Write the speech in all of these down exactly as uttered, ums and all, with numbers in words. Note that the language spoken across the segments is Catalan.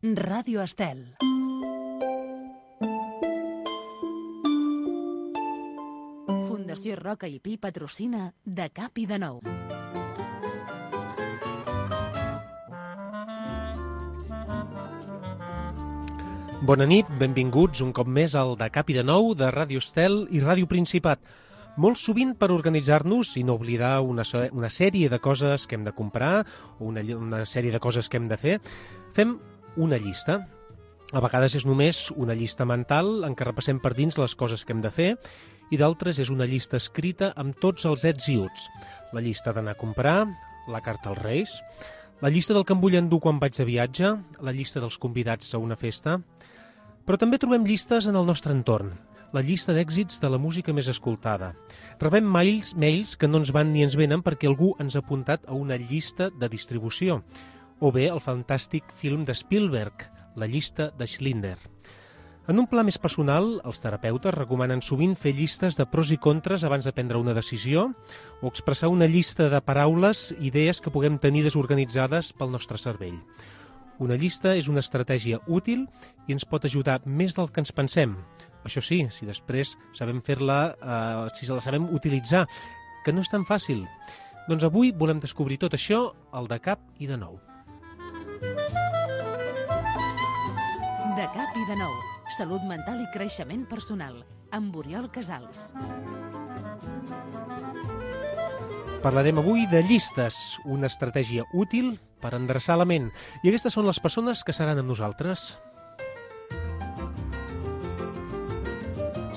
Ràdio Estel. Fundació Roca i Pi patrocina De Cap i de Nou. Bona nit, benvinguts un cop més al De Cap i de Nou de Ràdio Estel i Ràdio Principat. Molt sovint, per organitzar-nos i no oblidar una, una sèrie de coses que hem de comprar o una, una sèrie de coses que hem de fer, fem una llista. A vegades és només una llista mental en què repassem per dins les coses que hem de fer i d'altres és una llista escrita amb tots els ets i uts. La llista d'anar a comprar, la carta als Reis, la llista del que em vull endur quan vaig de viatge, la llista dels convidats a una festa. Però també trobem llistes en el nostre entorn, la llista d'èxits de la música més escoltada. Rebem mails, mails que no ens van ni ens venen perquè algú ens ha apuntat a una llista de distribució. O bé el fantàstic film de Spielberg, la llista de Schindler. En un pla més personal, els terapeutes recomanen sovint fer llistes de pros i contres abans de prendre una decisió o expressar una llista de paraules, idees que puguem tenir desorganitzades pel nostre cervell. Una llista és una estratègia útil i ens pot ajudar més del que ens pensem. Això sí, si després sabem fer-la, eh, si la sabem utilitzar, que no és tan fàcil. Doncs avui volem descobrir tot això al De Cap i de Nou. De Cap i de Nou. Salut mental i creixement personal. Amb Oriol Casals. Parlarem avui de llistes, una estratègia útil per endreçar la ment. I aquestes són les persones que seran amb nosaltres.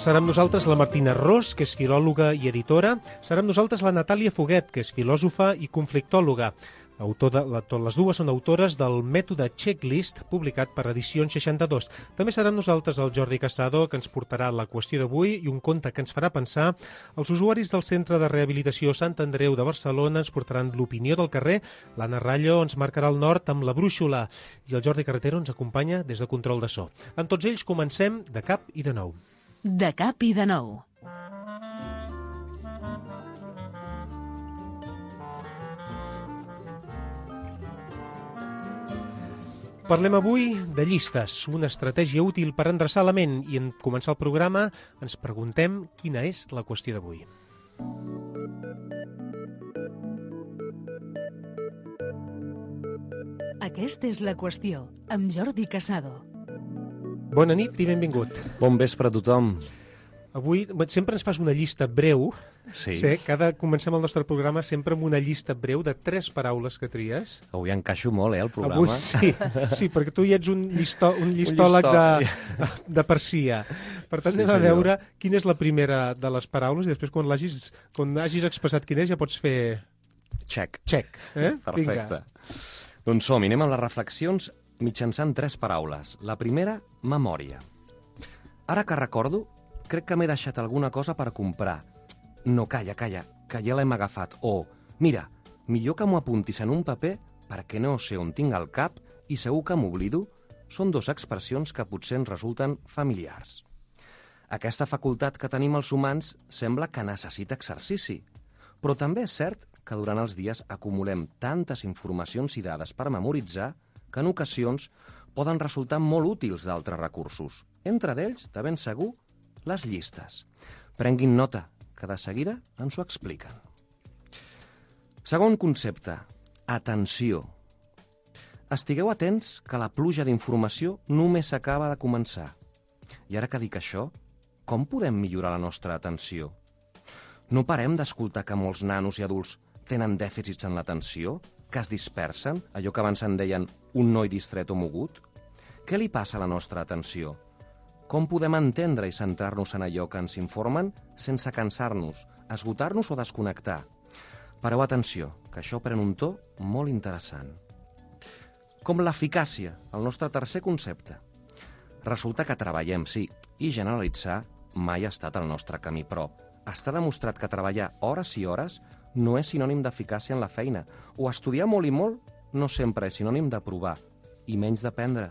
Serà amb nosaltres la Martina Ros, que és filòloga i editora. Serà amb nosaltres la Natàlia Foguet, que és filòsofa i conflictòloga. Autor de, la, les dues són autores del mètode Checklist, publicat per Edicions seixanta-dos. També serà amb nosaltres el Jordi Casado, que ens portarà la qüestió d'avui i un conte que ens farà pensar. Els usuaris del Centre de Rehabilitació Sant Andreu de Barcelona ens portaran l'opinió del carrer. L'Anna Rallo ens marcarà el nord amb la brúixola. I el Jordi Carretero ens acompanya des de control de so. En tots ells comencem De Cap i de Nou. De Cap i de Nou. Parlem avui de llistes, una estratègia útil per endreçar la ment i en començar el programa ens preguntem quina és la qüestió d'avui. Aquesta és la qüestió, amb Jordi Casado. Bona nit i benvingut. Bon vespre a tothom. Avui sempre ens fas una llista breu. Sí. Sí, cada comencem el nostre programa sempre amb una llista breu de tres paraules que tries. Avui encaixo molt, eh, el programa. Avui sí, sí, perquè tu ja ets un, llistó, un llistòleg un de, de persia. Per tant, sí, anem a veure quina és la primera de les paraules i després quan l'hagis quan hagis expressat quina és ja pots fer... Check. Check. Eh? Perfecte. Vinga. Doncs som, anem amb les reflexions mitjançant tres paraules. La primera, memòria. Ara que recordo, crec que m'he deixat alguna cosa per comprar. No, calla, calla, que ja l'hem agafat. O, mira, millor que m'ho apuntis en un paper perquè no sé on tinc el cap i segur que m'oblido, són dues expressions que potser ens resulten familiars. Aquesta facultat que tenim els humans sembla que necessita exercici, però també és cert que durant els dies acumulem tantes informacions i dades per memoritzar que en ocasions poden resultar molt útils d'altres recursos. Entre d'ells, de ben segur, les llistes. Prenguin nota, que de seguida ens ho expliquen. Segon concepte, atenció. Estigueu atents que la pluja d'informació només acaba de començar. I ara que dic això, com podem millorar la nostra atenció? No parem d'escoltar que molts nanos i adults tenen dèficits en l'atenció, que es dispersen, allò que abans en deien un noi distret o mogut? Què li passa a la nostra atenció? Com podem entendre i centrar-nos en allò que ens informen sense cansar-nos, esgotar-nos o desconnectar? Pareu atenció, que això pren un to molt interessant. Com l'eficàcia, el nostre tercer concepte. Resulta que treballem, sí, i generalitzar mai ha estat el nostre camí, però està demostrat que treballar hores i hores no és sinònim d'eficàcia en la feina, o estudiar molt i molt no sempre és sinònim d'aprovar, i menys d'aprendre.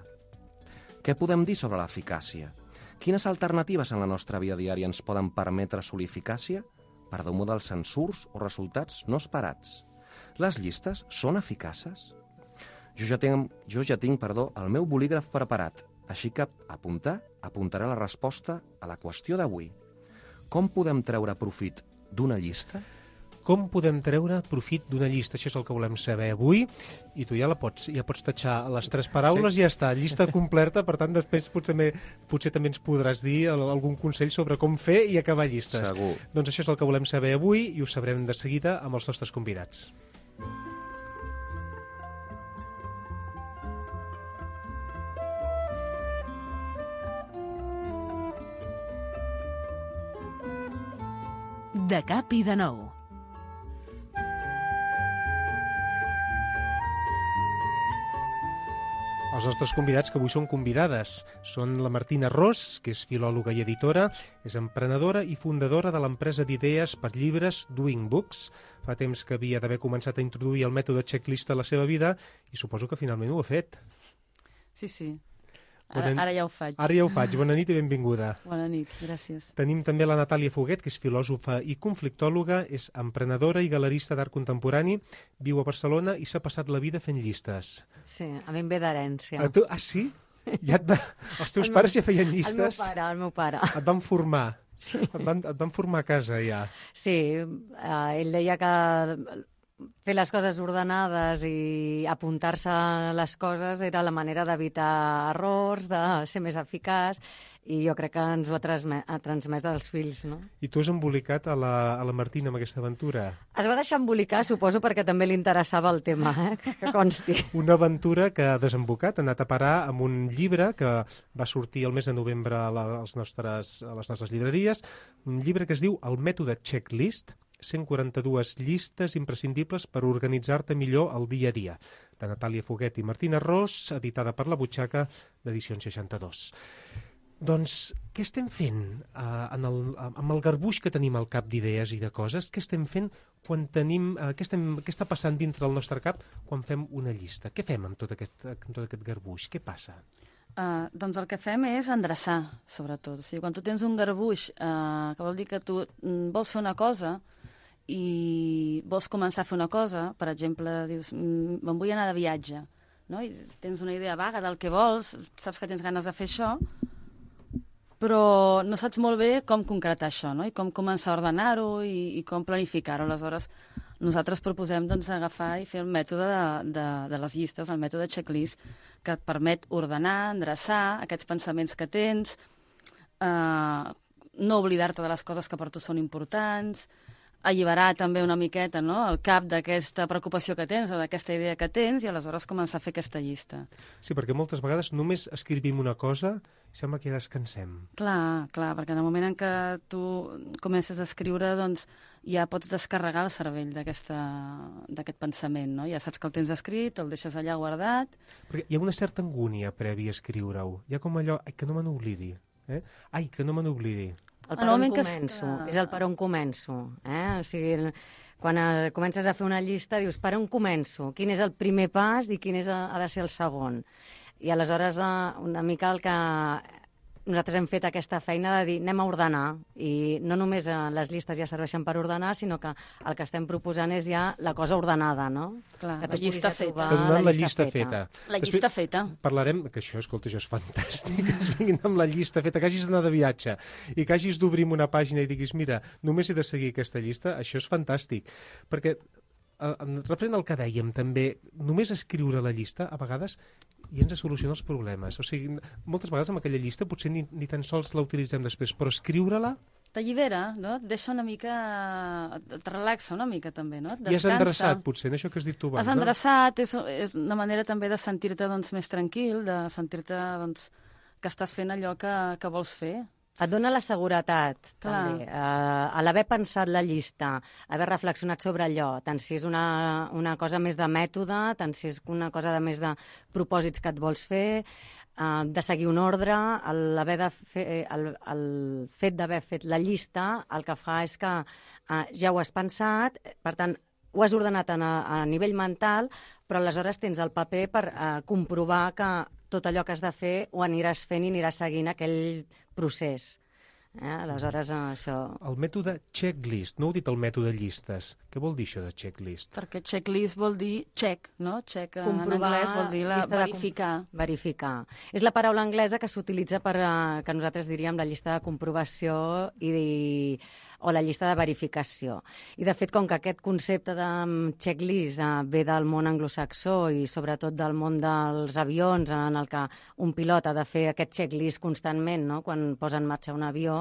Què podem dir sobre l'eficàcia? Quines alternatives en la nostra vida diària ens poden permetre assolir eficàcia per damunt dels censurs o resultats no esperats? Les llistes són eficaces? Jo ja tinc, jo ja tinc perdó, el meu bolígraf preparat, així que apuntar, apuntaré la resposta a la qüestió d'avui. Com podem treure profit d'una llista? Com podem treure profit d'una llista? Això és el que volem saber avui, i tu ja la pots, ja pots tatxar les tres paraules sí. I ja està, llista completa, per tant després potser, també, potser també ens podràs dir algun consell sobre com fer i acabar llistes. Segur. Doncs això és el que volem saber avui i ho sabrem de seguida amb els nostres convidats. De cap i de nou. Els nostres convidats, que avui són convidades, són la Martina Ros, que és filòloga i editora, és emprenedora i fundadora de l'empresa d'idees per llibres Doing Books. Fa temps que havia d'haver començat a introduir el mètode checklist a la seva vida i suposo que finalment ho ha fet. Sí, sí. Ara, ara ja ho faig. Ara ja ho faig. Bona nit i benvinguda. Bona nit, gràcies. Tenim també la Natàlia Foguet, que és filòsofa i conflictòloga, és emprenedora i galerista d'art contemporani, viu a Barcelona i s'ha passat la vida fent llistes. Sí, a mi em ve d'herència. A tu? Ah, sí? Ja et va... Els teus el pares ja feien llistes? El meu pare, el meu pare. Et van formar? Sí. Et van, et van formar a casa, ja? Sí, eh, ell deia que fer les coses ordenades i apuntar-se les coses era la manera d'evitar errors, de ser més eficaç, i jo crec que ens ho ha, transmet, ha transmès als fills, no? I tu has embolicat a la, a la Martina amb aquesta aventura? Es va deixar embolicar, suposo, perquè també li interessava el tema, eh? Que consti. Una aventura que ha desembocat, ha anat a parar amb un llibre que va sortir el mes de novembre a, la, als nostres, a les nostres llibreries, un llibre que es diu El mètode checklist, cent quaranta-dues llistes imprescindibles per organitzar-te millor el dia a dia, de Natàlia Foguet i Martina Ros, editada per La Butxaca, d'edicions seixanta-dos. Doncs, què estem fent uh, en el, amb el garbuix que tenim al cap d'idees i de coses? Què estem fent quan tenim... Uh, què, estem, què està passant dintre del nostre cap quan fem una llista? Què fem amb tot aquest, amb tot aquest garbuix? Què passa? Uh, doncs el que fem és endreçar, sobretot. O sigui, quan tu tens un garbuix, uh, que vol dir que tu mm, vols fer una cosa i vols començar a fer una cosa, per exemple, dius, me'n vull anar de viatge, no? I tens una idea vaga del que vols, saps que tens ganes de fer això, però no saps molt bé com concretar això, no? I com començar a ordenar-ho i, i com planificar-ho. Aleshores, nosaltres proposem doncs, agafar i fer el mètode de, de, de les llistes, el mètode checklist, que et permet ordenar, endreçar aquests pensaments que tens, eh, no oblidar-te de les coses que per tu són importants, alliberar també una miqueta, no?, el cap d'aquesta preocupació que tens o d'aquesta idea que tens i aleshores començar a fer aquesta llista. Sí, perquè moltes vegades només escrivim una cosa i sembla que ja descansem. Clar, clar, perquè en el moment en què tu comences a escriure, doncs ja pots descarregar el cervell d'aquest pensament, no? Ja saps que el tens escrit, el deixes allà guardat. Perquè hi ha una certa angúnia prèvia a escriure-ho. Hi ha com allò, ai, que no me n'oblidi. Eh? Ai, que no me n'oblidi. El per on començo, que... és el per on començo. Eh? O sigui, quan eh, comences a fer una llista, dius, per on començo? Quin és el primer pas i quin és, ha de ser el segon? I aleshores, eh, una mica el que nosaltres hem fet aquesta feina de dir, anem a ordenar, i no només eh, les llistes ja serveixen per ordenar, sinó que el que estem proposant és ja la cosa ordenada, no? Clar, la llista feta. Estem donant la llista feta. La llista feta. Parlarem, que això, escolta, això és fantàstic, que es vinguin amb la llista feta, que hagis d'anar de viatge i que hagis d'obrir una pàgina i diguis, mira, només he de seguir aquesta llista, això és fantàstic. Perquè, referent al que dèiem, també, només escriure la llista, a vegades, i ens soluciona els problemes. O sigui, moltes vegades amb aquella llista potser ni, ni tan sols la utilitzem després, però escriure-la... T'allibera, no? Et deixa una mica... Et relaxa una mica, també, no? Et descansa. I has endreçat, potser, en això que has dit tu abans, has endreçat, no? és, és una manera també de sentir-te doncs, més tranquil, de sentir-te doncs, que estàs fent allò que, que vols fer. Et dona la seguretat, Clar. també. Uh, a l'haver pensat la llista, haver reflexionat sobre allò, tant si és una, una cosa més de mètode, tant si és una cosa de més de propòsits que et vols fer, uh, de seguir un ordre, el, de fer, el, el fet d'haver fet la llista, el que fa és que uh, ja ho has pensat, per tant, ho has ordenat a, a nivell mental, però aleshores tens el paper per uh, comprovar que tot allò que has de fer ho aniràs fent i aniràs seguint aquell procés. Eh? Aleshores, això... El mètode checklist, no heu dit el mètode llistes. Què vol dir això de checklist? Perquè checklist vol dir check, no? Check en Comprovar, anglès vol dir la, llista de com- verificar. Verificar. És la paraula anglesa que s'utilitza per, eh, que nosaltres diríem la llista de comprovació i, o la llista de verificació. I, de fet, com que aquest concepte de mm, checklist eh, ve del món anglosaxó i sobretot del món dels avions, en el que un pilot ha de fer aquest checklist constantment, no?, quan posa en marxa un avió,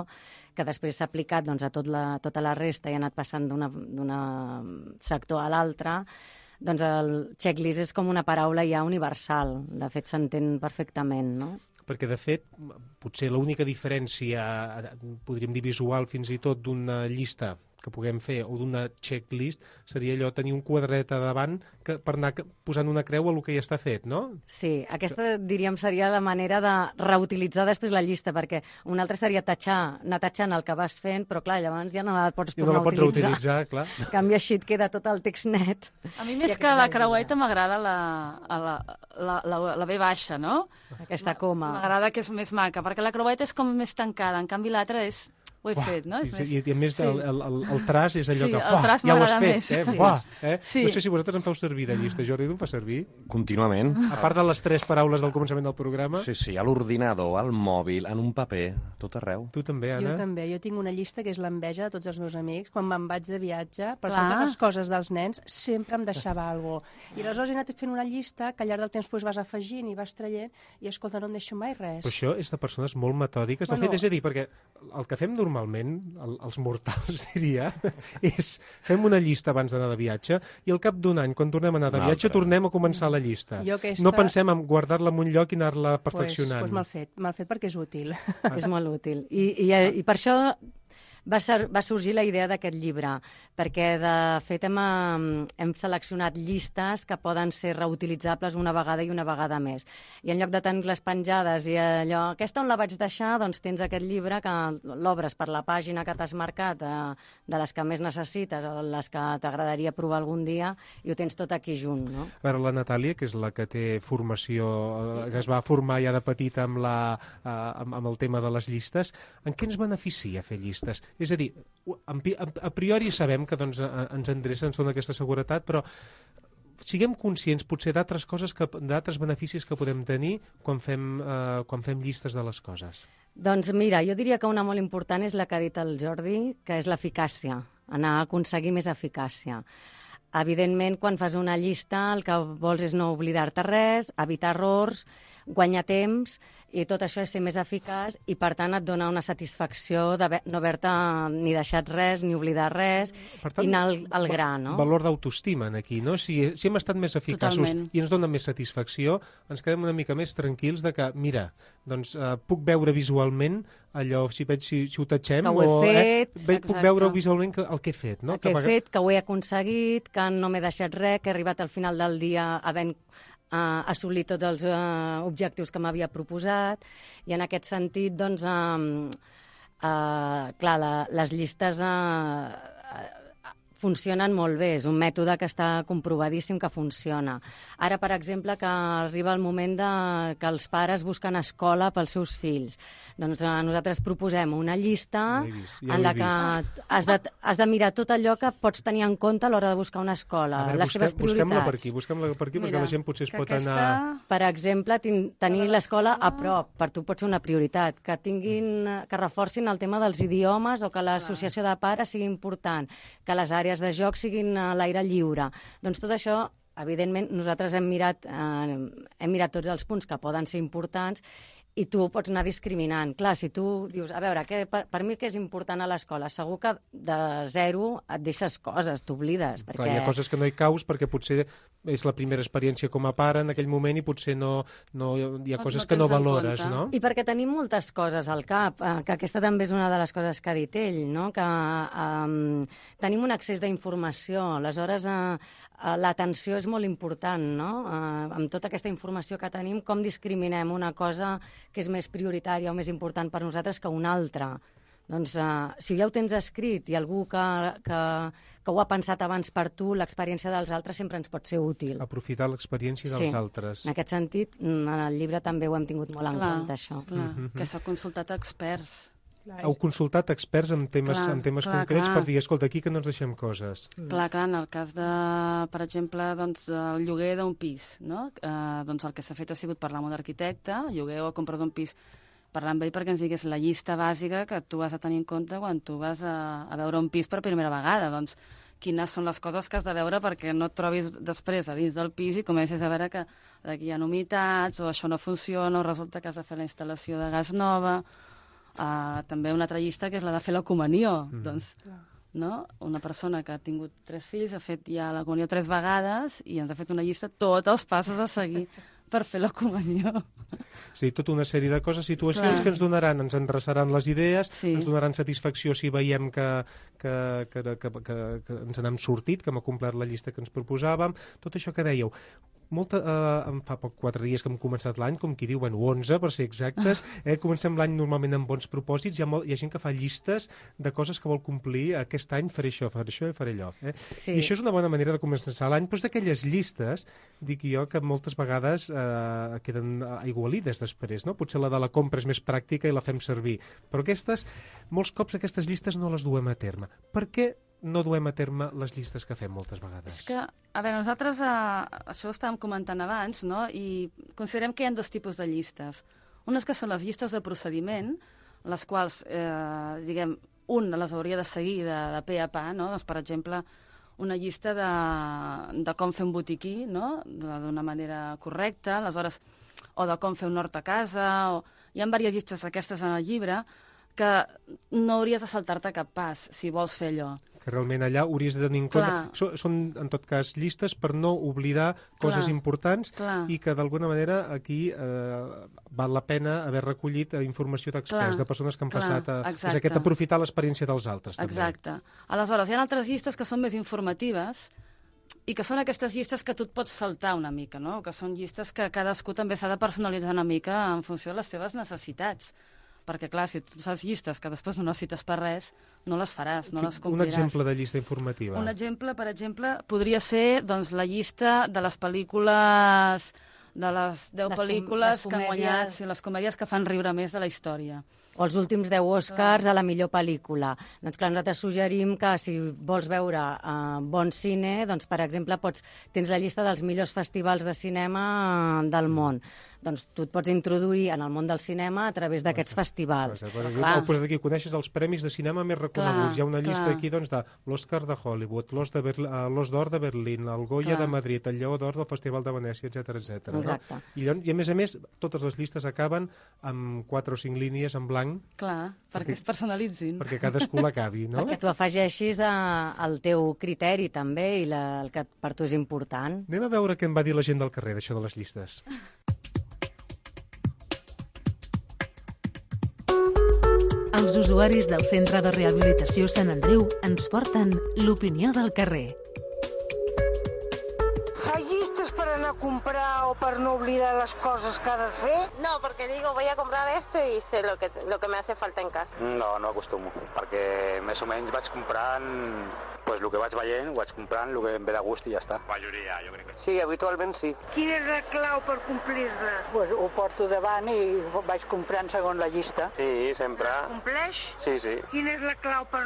que després s'ha aplicat doncs, a tot la, tota la resta i ha anat passant d'un sector a l'altre, doncs el checklist és com una paraula ja universal. De fet, s'entén perfectament, no? Perquè, de fet, potser l'única diferència, podríem dir visual fins i tot, d'una llista que puguem fer o d'una checklist seria allò tenir un quadret a davant que, per anar posant una creu a el que ja està fet, no? Sí, aquesta diríem seria la manera de reutilitzar després la llista, perquè una altra seria tatxar, anar tatxant el que vas fent, però clar, llavors ja no la pots I no tornar la pots a utilitzar. reutilitzar, clar. En canvi, així et queda tot el text net. A mi més que la creueta m'agrada la, la, la, la, la B baixa, no? Aquesta coma. M'agrada que és més maca, perquè la creueta és com més tancada, en canvi l'altra és... Ho he Uah, fet, no? És i, més... I, i a més Sí. el, el, el, el traç és allò Sí, que el fa, traç ja ho has m'agrada fet, més, eh? sí. Buah, eh? Sí. No sé si vosaltres en feu servir de llista, Jordi, tu en fas servir? Contínuament. A part de les tres paraules del començament del programa, Sí, sí, a l'ordinador, al mòbil, en un paper, tot arreu. tu també, Jo Anna? també. Jo tinc una llista que és l'enveja de tots els meus amics. Quan me'n vaig de viatge, per Clar. totes les coses dels nens, sempre em deixava alguna cosa. I aleshores he anat fent una llista que al llarg del temps pues, vas afegint i vas traient i, escolta, no em deixo mai res. Però això és de persones molt metòdiques. De Bueno. fet, és a dir, perquè el que fem normalment, el, els mortals, diria, és fem una llista abans d'anar de viatge i al cap d'un any, quan tornem a anar de Una viatge, altra. tornem a començar la llista. Jo aquesta- No pensem en guardar-la en un lloc i anar-la pues, perfeccionant. pues mal fet, mal fet perquè és útil. És molt útil. I, i, i per això va, ser, va sorgir la idea d'aquest llibre, perquè de fet hem, eh, hem seleccionat llistes que poden ser reutilitzables una vegada i una vegada més. I en lloc de tenir-les penjades i allò, aquesta on la vaig deixar, doncs tens aquest llibre que l'obres per la pàgina que t'has marcat, eh, de les que més necessites o les que t'agradaria provar algun dia, i ho tens tot aquí junt, no? A veure, la Natàlia, que és la que té formació, eh, que es va formar ja de petita amb, la, eh, amb, amb el tema de les llistes, en què ens beneficia fer llistes? És a dir, en, a priori sabem que doncs, ens endreça, ens dona aquesta seguretat, però siguem conscients potser d'altres coses, que d'altres beneficis que podem tenir quan fem, eh, quan fem llistes de les coses. Doncs mira, jo diria que una molt important és la que ha dit el Jordi, que és l'eficàcia, anar a aconseguir més eficàcia. Evidentment, quan fas una llista, el que vols és no oblidar-te res, evitar errors, guanyar temps, i tot això és ser més eficaç i, per tant, et dona una satisfacció de no haver-te ni deixat res, ni oblidar res, Per tant, i anar al, al gra, no? Valor d'autoestima aquí, no? Si, si hem estat més eficaços Totalment. i ens dona més satisfacció, ens quedem una mica més tranquils de que, mira, doncs eh, puc veure visualment allò, si veig si, si ho tatxem, Que ho he o fet, eh, ve, puc exacte. veure visualment que, el que he fet, no? El que he a vegades- fet, que ho he aconseguit, que no m'he deixat res, que he arribat al final del dia havent uh, assolir tots els uh, objectius que m'havia proposat, i en aquest sentit, doncs, uh, uh, clar, la, les llistes uh, uh, funcionen molt bé, és un mètode que està comprovadíssim que funciona. Ara, per exemple, que arriba el moment de, que els pares busquen escola pels seus fills. Doncs eh, nosaltres proposem una llista Ja l'he vist, ja en l'he la que has de, has de mirar tot allò que pots tenir en compte a l'hora de buscar una escola, A veure, les seves busquem, busquem-la per prioritats. aquí, busquem-la per aquí, Mira, perquè la gent potser es que pot aquesta... anar... Per exemple, tin, tenir l'escola a prop, per tu pot ser una prioritat, que tinguin, que reforcin el tema dels idiomes o que l'associació de pares sigui important, que les àrees de joc siguin a l'aire lliure. Doncs tot això, evidentment, nosaltres hem mirat, eh, hem mirat tots els punts que poden ser importants i tu pots anar discriminant. Clar, si tu dius, a veure, que per, per mi què és important a l'escola? Segur que de zero et deixes coses, t'oblides. Perquè... Clar, hi ha coses que no hi caus perquè potser és la primera experiència com a pare en aquell moment i potser no, no hi ha No- coses no que no tens en valores, compte. no? I perquè tenim moltes coses al cap, eh, que aquesta també és una de les coses que ha dit ell, no? Que eh, tenim un accés d'informació, aleshores eh, eh, l'atenció és molt important, no? Eh, amb tota aquesta informació que tenim, com discriminem una cosa que és més prioritària o més important per nosaltres que una altra? Doncs eh, si ja ho tens escrit i algú que, que, que ho ha pensat abans per tu, l'experiència dels altres sempre ens pot ser útil. Aprofitar l'experiència dels Sí. altres. En aquest sentit, mm, en el llibre també ho hem tingut molt en Clar, compte, això. clar, que s'ha consultat experts. Clar, heu consultat experts en temes, Clar, en temes clar, concrets clar. per dir, escolta, aquí que no ens deixem coses. Clar, clar, en el cas de, per exemple, doncs, el lloguer d'un pis, no? Eh, doncs el que s'ha fet ha sigut parlar amb un arquitecte, lloguer o compra d'un pis, parlar amb ell perquè ens digués la llista bàsica que tu has de tenir en compte quan tu vas a, a veure un pis per primera vegada. Doncs quines són les coses que has de veure perquè no et trobis després a dins del pis i comencis a veure que aquí hi ha humitats o això no funciona o resulta que has de fer la instal·lació de gas nova. Uh, també una altra llista que és la de fer la comunió. Mm. Doncs, no? Una persona que ha tingut tres fills ha fet ja la comunió tres vegades i ens ha fet una llista tots els passos a seguir per fer la comunió. Sí, tota una sèrie de coses, situacions Clar. que ens donaran, ens endreçaran les idees, Sí. ens donaran satisfacció si veiem que, que, que, que, que, que ens n'hem sortit, que hem complert la llista que ens proposàvem, tot això que dèieu. Molta, eh, em fa poc quatre dies que hem començat l'any, com qui diu, bueno, onze per ser exactes, eh, comencem l'any normalment amb bons propòsits, hi ha, molt, hi ha gent que fa llistes de coses que vol complir, aquest any faré això, faré això i faré allò. Eh? Sí. I això és una bona manera de començar l'any, però és d'aquelles llistes, dic jo, que moltes vegades eh, queden aigualides després, no? Potser la de la compra és més pràctica i la fem servir, però aquestes, molts cops aquestes llistes no les duem a terme. Per què no duem a terme les llistes que fem moltes vegades? És que, a veure, nosaltres, eh, això ho estàvem comentant abans, no? I considerem que hi ha dos tipus de llistes. Unes que són les llistes de procediment, les quals, eh, diguem, un les hauria de seguir de, de pe a pa, no? Doncs, per exemple, una llista de, de com fer un botiquí, no? D'una manera correcta, aleshores, o de com fer un hort a casa, o... hi ha diverses llistes aquestes en el llibre que no hauries de saltar-te cap pas si vols fer allò. Que realment allà hauries de tenir en compte... Clar. So, són, en tot cas, llistes per no oblidar coses Clar. importants Clar. i que, d'alguna manera, aquí eh, val la pena haver recollit eh, informació d'experts, Clar. de persones que han Clar. passat a... Exacte. És aquest aprofitar l'experiència dels altres, també. Exacte. Aleshores, hi ha altres llistes que són més informatives i que són aquestes llistes que tu et pots saltar una mica, no? Que són llistes que cadascú també s'ha de personalitzar una mica en funció de les seves necessitats. Perquè, clar, si tu fas llistes que després no necessites per res, no les faràs, no les Un compliràs. exemple de llista informativa. Un exemple, per exemple, podria ser doncs, la llista de les pel·lícules, de les deu Les com- pel·lícules les que han guanyat, comèdies. sí, les comèdies que fan riure més de la història. O els últims deu Oscars a la millor pel·lícula. Doncs clar, nosaltres suggerim que si vols veure uh, bon cine, doncs per exemple pots, tens la llista dels millors festivals de cinema uh, del món. Doncs tu et pots introduir en el món del cinema a través d'aquests festivals. Clar. Heu posat aquí, coneixes els premis de cinema més reconeguts. Clar, Hi ha una llista clar. aquí doncs, de l'Oscar de Hollywood, l'Os de Berl- eh, l'Os d'Or de Berlín, el Goya Clar. de Madrid, el Lleó d'Or del Festival de Venècia, etcètera etcètera. Exacte. No? I, llavors, I a més a més, totes les llistes acaben amb quatre o cinc línies en blanc Clar, perquè es personalitzin. perquè cadascú l'acabi, no? Perquè tu afegeixis uh, el teu criteri també i la, el que per tu és important. Anem a veure què em va dir la gent del carrer d'això de les llistes. Els usuaris del Centre de Rehabilitació Sant Andreu ens porten l'opinió del carrer. ¿Hay listas para no comprar o para no olvidar las cosas que ha de fer? No, porque digo, voy a comprar esto y sé lo que, lo que me hace falta en casa. No, no acostumo, perquè més o menys vaig comprant pues, el que vaig veient, ho vaig comprant, el que em ve de gust i ja està. Majoria, jo crec que sí. Sí, habitualment sí. Quina és la clau per complir-les? Pues ho porto davant i vaig comprant segons la llista. Sí, sempre. Compleix? Sí, sí. Quina és la clau per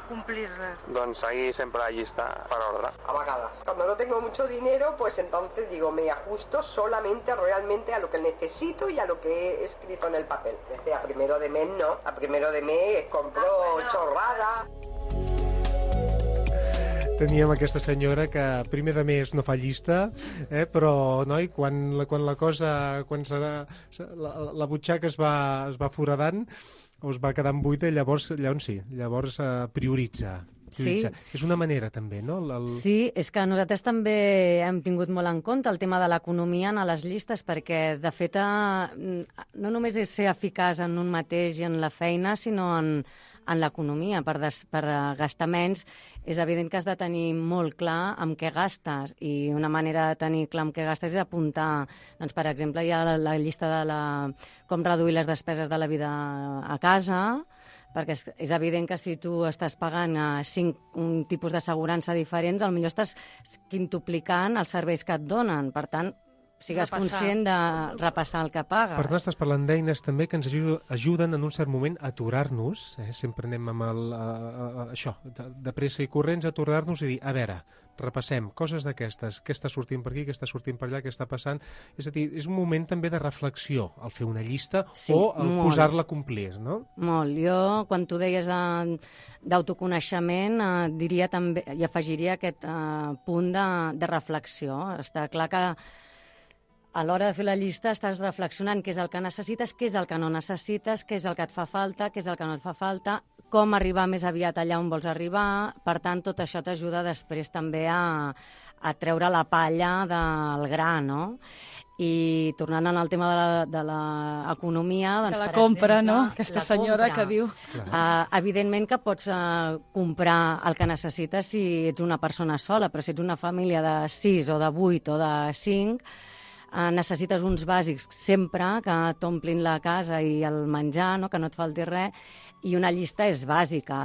complir-les? Doncs seguir sempre la llista per ordre. A vagadas. Cuando no tengo mucho dinero, pues entonces digo, me ajusto solamente realmente a lo que necesito y a lo que he escrito en el papel. Desde a primero de mes no, a primero de mes compro ah, bueno. chorrada. Teníem aquesta senyora que primer de mes no fa llista, eh, però noi, quan, la, quan la cosa, quan serà, la, la butxaca es va, es va foradant o es va quedant buida, llavors, llavors sí, llavors eh, prioritza. Sí. És una manera també, no? El... Sí, és que nosaltres també hem tingut molt en compte el tema de l'economia en les llistes perquè, de fet, eh, no només és ser eficaç en un mateix i en la feina, sinó en, en l'economia. Per, des, per gastar menys és evident que has de tenir molt clar amb què gastes i una manera de tenir clar amb què gastes és apuntar. Doncs, per exemple, hi ha la, la llista de la, com reduir les despeses de la vida a casa, perquè és, és evident que si tu estàs pagant uh, cinc un tipus d'assegurança diferents, potser estàs quintuplicant els serveis que et donen. Per tant, sigues Repassar. conscient de repassar el que pagues. Per tant, estàs parlant d'eines també que ens aju- ajuden en un cert moment a aturar-nos, eh? Sempre anem amb el, a, a, a, això, de, de pressa i corrents, a aturar-nos i dir, a veure, repassem coses d'aquestes, què està sortint per aquí, què està sortint per allà, què està passant. És a dir, és un moment també de reflexió, el fer una llista Sí, o el molt. posar-la a complir, no? Molt. Jo, quan tu deies eh, d'autoconeixement, eh, diria també, i afegiria aquest eh, punt de, de reflexió. Està clar que a l'hora de fer la llista estàs reflexionant què és el que necessites, què és el que no necessites, què és el que et fa falta, què és el que no et fa falta, com arribar més aviat allà on vols arribar. Per tant, tot això t'ajuda després també a, a treure la palla del gra, no? I tornant al tema de l'economia... Doncs, Que la per compra, exemple, no? Aquesta la senyora compra. que diu... Uh, evidentment que pots uh, comprar el que necessites si ets una persona sola, però si ets una família de sis o de vuit o de cinc, uh, necessites uns bàsics sempre que t'omplin la casa i el menjar, no? Que no et falti res, i una llista és bàsica.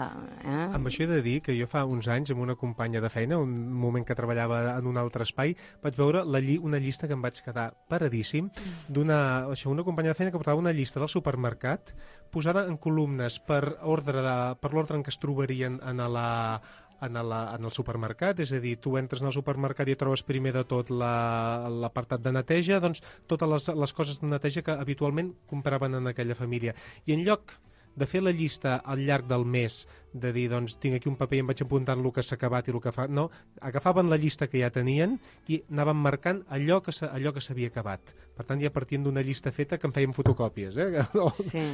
Eh? Amb això he de dir que jo fa uns anys, amb una companya de feina, un moment que treballava en un altre espai, vaig veure la lli una llista que em vaig quedar paradíssim, d'una això, una companya de feina que portava una llista del supermercat posada en columnes per ordre de, per l'ordre en què es trobarien en la, en, la, en el supermercat, és a dir, tu entres en el supermercat i trobes primer de tot l'apartat de neteja, doncs totes les, les coses de neteja que habitualment compraven en aquella família. I en lloc de fer la llista al llarg del mes, de dir, doncs, tinc aquí un paper i em vaig apuntant el que s'ha acabat i el que fa... No, agafaven la llista que ja tenien i anaven marcant allò que s'havia acabat. Per tant, ja partien d'una llista feta que en feien fotocòpies, eh? Sí.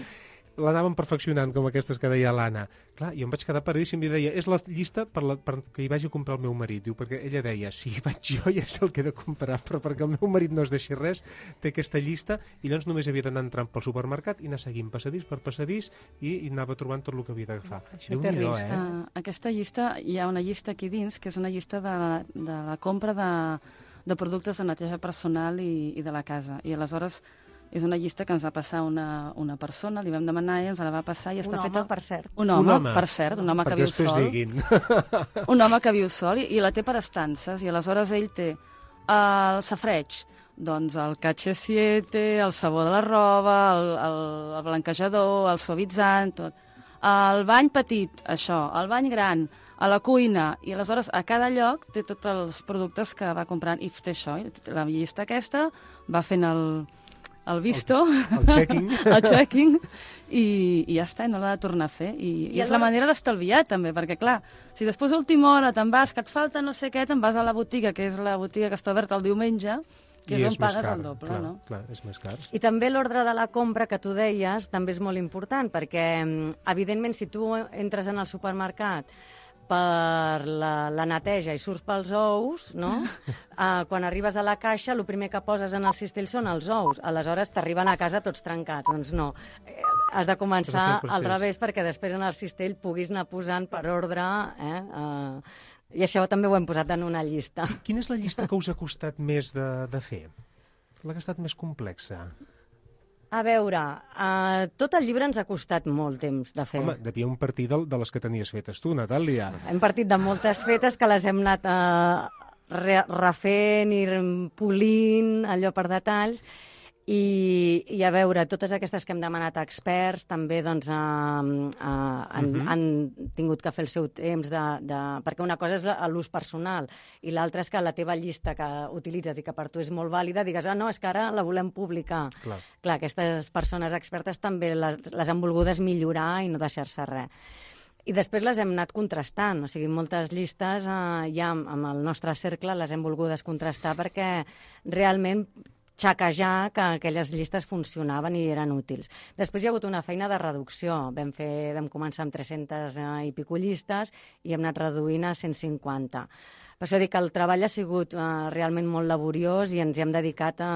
L'anaven perfeccionant, com aquestes que deia l'Anna. Clar, jo em vaig quedar paradíssim i deia, és la llista per la, per que hi vagi a comprar el meu marit. Diu, perquè ella deia, si hi vaig jo ja és el que he de comprar, però perquè el meu marit no es deixi res, té aquesta llista i llavors només havia d'anar entrant pel supermercat i anar seguint passadís per passadís i, i anava trobant tot el que havia d'agafar. Déu-n'hi-do, eh? Uh, aquesta llista, hi ha una llista aquí dins, que és una llista de, de la compra de, de productes de neteja personal i, i de la casa. I aleshores és una llista que ens va passar una, una persona, li vam demanar i ens la va passar i Un està home, feta... per cert. Un home, Un home. per cert, un home que Perquè viu després sol. diguin. Un home que viu sol i, i la té per estances, i aleshores ell té el safreig, doncs el Cache siete, el sabó de la roba, el, el, el blanquejador, el suavitzant, tot. El bany petit, això, el bany gran, a la cuina, i aleshores a cada lloc té tots els productes que va comprant i té això, i la llista aquesta va fent el, el visto, El, el checking. el checking, i, i ja està, i no l'ha de tornar a fer. I, i, I és la alhora- manera d'estalviar, també, perquè, clar, si després a última hora te'n vas, que et falta no sé què, te'n vas a la botiga, que és la botiga que està oberta el diumenge, que I és on més pagues car, el doble, clar, no? Clar, és més car. I també l'ordre de la compra que tu deies també és molt important, perquè, mm, evidentment, si tu entres en el supermercat per la, la neteja i surts pels ous, no? Uh, quan arribes a la caixa, el primer que poses en el cistell són els ous. Aleshores t'arriben a casa tots trencats. Doncs no. Eh, has de començar Has de fer el al procés. revés perquè després en el cistell puguis anar posant per ordre. Eh? Uh, I això també ho hem posat en una llista. Quina és la llista que us ha costat més de, de fer? La que ha estat més complexa? A veure, uh, tot el llibre ens ha costat molt temps de fer. Home, devia un partir de, de les que tenies fetes tu, Natàlia. Hem partit de moltes fetes que les hem anat uh, re refent i polint allò per detalls. I, i a veure, totes aquestes que hem demanat a experts també doncs, uh, uh, han, Mhm. han tingut que fer el seu temps de, de... perquè una cosa és l'ús personal i l'altra és que la teva llista que utilitzes i que per tu és molt vàlida, digues, ah, no, és que ara la volem publicar. Clar. Clar, aquestes persones expertes també les, les han volgudes millorar i no deixar-se res. I després les hem anat contrastant, o sigui, moltes llistes eh, ja amb, amb el nostre cercle les hem volgudes contrastar perquè realment xaquejar que aquelles llistes funcionaven i eren útils. Després hi ha hagut una feina de reducció. Vam, fer, vam començar amb tres-centes i pico llistes i hem anat reduint a cent cinquanta. Per això dic que el treball ha sigut eh, realment molt laboriós i ens hi hem dedicat eh,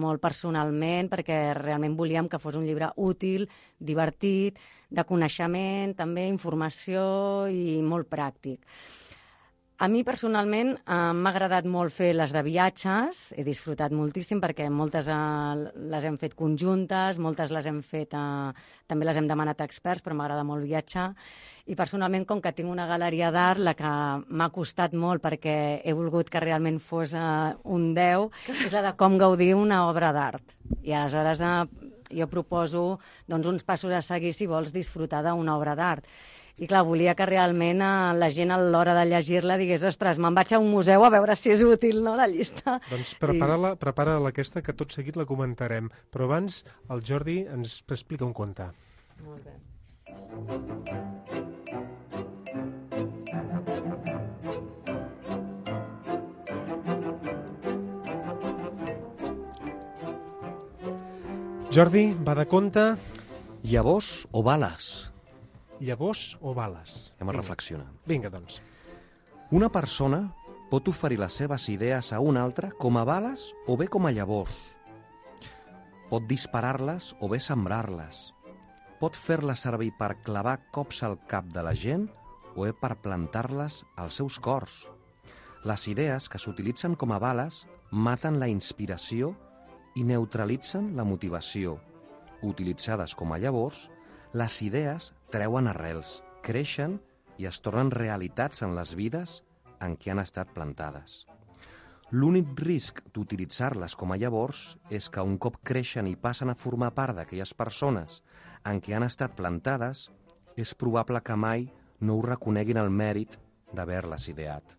molt personalment perquè realment volíem que fos un llibre útil, divertit, de coneixement, també informació i molt pràctic. A mi, personalment, eh, m'ha agradat molt fer les de viatges, he disfrutat moltíssim perquè moltes eh, les hem fet conjuntes, moltes les hem fet, eh, també les hem demanat a experts, però m'agrada molt viatjar. I personalment, com que tinc una galeria d'art, la que m'ha costat molt perquè he volgut que realment fos eh, un deu, és la de com gaudir una obra d'art. I aleshores eh, jo proposo doncs, uns passos a seguir si vols disfrutar d'una obra d'art. I clar, volia que realment eh, la gent a l'hora de llegir-la digués ostres, me'n vaig a un museu a veure si és útil, no, la llista. Doncs prepara-la, I... prepara-la aquesta, que tot seguit la comentarem. Però abans el Jordi ens explica un conte. Molt bé. Jordi, va de conte. Llavors o bales? Llavors o bales? Anem a reflexionar. Vinga, doncs. Una persona pot oferir les seves idees a una altra com a bales o bé com a llavors. Pot disparar-les o bé sembrar-les. Pot fer-les servir per clavar cops al cap de la gent o bé per plantar-les als seus cors. Les idees que s'utilitzen com a bales maten la inspiració i neutralitzen la motivació. Utilitzades com a llavors, les idees treuen arrels, creixen i es tornen realitats en les vides en què han estat plantades. L'únic risc d'utilitzar-les com a llavors és que un cop creixen i passen a formar part d'aquelles persones en què han estat plantades, és probable que mai no us reconeguin el mèrit d'haver-les ideat.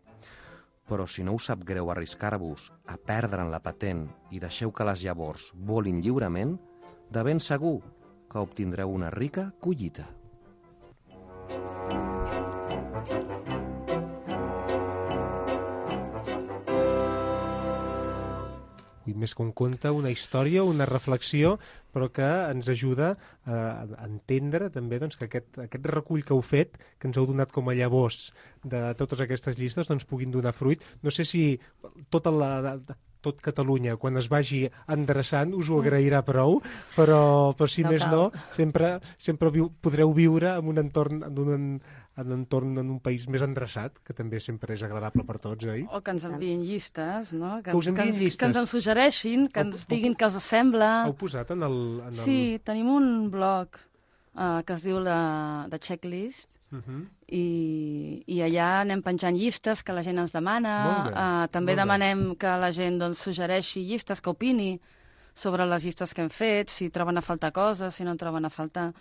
Però si no us sap greu arriscar-vos a perdre'n la patent i deixeu que les llavors volin lliurement, de ben segur que obtindreu una rica collita. Ui, més que un conte, una història, una reflexió, però que ens ajuda a entendre també doncs, que aquest, aquest recull que heu fet, que ens heu donat com a llavors de totes aquestes llistes, doncs puguin donar fruit. No sé si tota la... tot Catalunya, quan es vagi endreçant, us ho agrairà prou, però, però si no més cal. no, sempre, sempre viu, podreu viure en un entorn, en un, en un entorn, en un país més endreçat, que també sempre és agradable per tots, oi? O que ens envien llistes, no? Que, que us envien que, llistes. Que ens en suggereixin, que ens diguin que els sembla. Heu posat en el... En el... Sí, tenim un blog uh, que es diu la, The Checklist, Uh -huh. I, i allà anem penjant llistes que la gent ens demana. Uh, també demanem que la gent doncs, suggereixi llistes, que opini sobre les llistes que hem fet, si troben a faltar coses, si no en troben a faltar.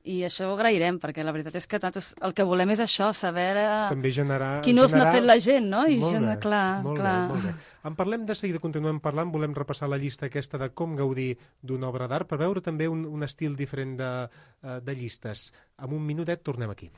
I això ho agrairem, perquè la veritat és que nosaltres el que volem és això, saber també generar, quin ús generar... n'ha fet la gent, no? I molt gent, bé, clar, molt clar. Bé, molt bé. En parlem de seguida, continuem parlant, volem repassar la llista aquesta de com gaudir d'una obra d'art, per veure també un, un estil diferent de, de llistes. En un minutet tornem aquí.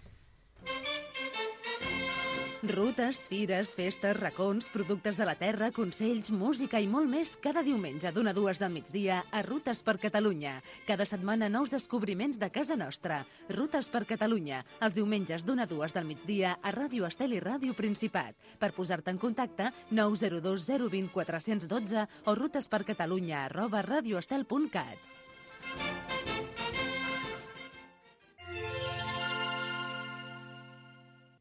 Rutes, fires, festes, racons, productes de la terra, consells, música i molt més cada diumenge d'una a dues del migdia a Rutes per Catalunya. Cada setmana nous descobriments de casa nostra. Rutes per Catalunya, els diumenges d'una a dues del migdia a Ràdio Estel i Ràdio Principat. Per posar-te en contacte, nou zero dos zero dos zero quatre un dos o rutespercatalunya arroba radioestel punt cat.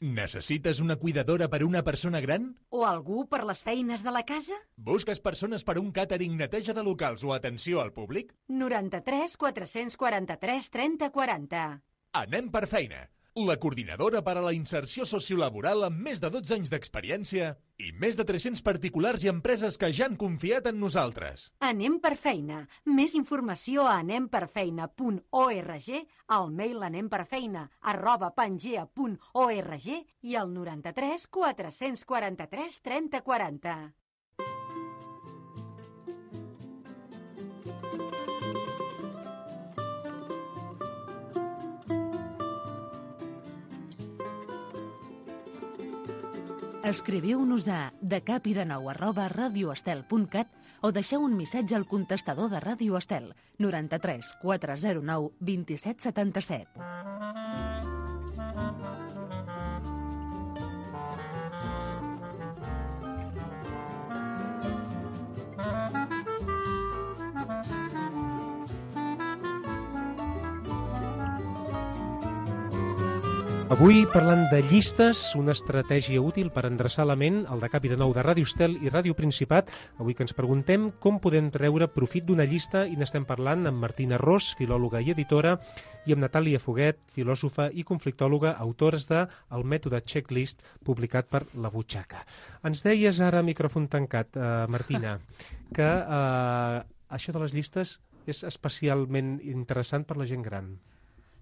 Necessites una cuidadora per una persona gran? O algú per les feines de la casa? Busques persones per un càtering, neteja de locals o atenció al públic? noranta-tres quatre-cents quaranta-tres trenta quaranta. Anem per feina. La coordinadora per a la inserció sociolaboral amb més de dotze anys d'experiència i més de tres-cents particulars i empreses que ja han confiat en nosaltres. Anem per feina. Més informació a anemperfeina punt org, al mail anemperfeina arroba pangea punt org i al noranta-tres quatre-cents quaranta-tres trenta quaranta. Escriviu-nos a decapidenou arroba radioestel punt cat o deixeu un missatge al contestador de Ràdio Estel noranta-tres quatre zero nou vint-i-set setanta-set. Avui parlant de llistes, una estratègia útil per endreçar la ment, el de Capi de Nou de Ràdio Estel i Ràdio Principat. Avui que ens preguntem com podem treure profit d'una llista i n'estem parlant amb Martina Ros, filòloga i editora, i amb Natàlia Foguet, filòsofa i conflictòloga, autores de El mètode checklist, publicat per La Butxaca. Ens deies ara, micròfon tancat, eh, Martina, que eh, això de les llistes és especialment interessant per la gent gran.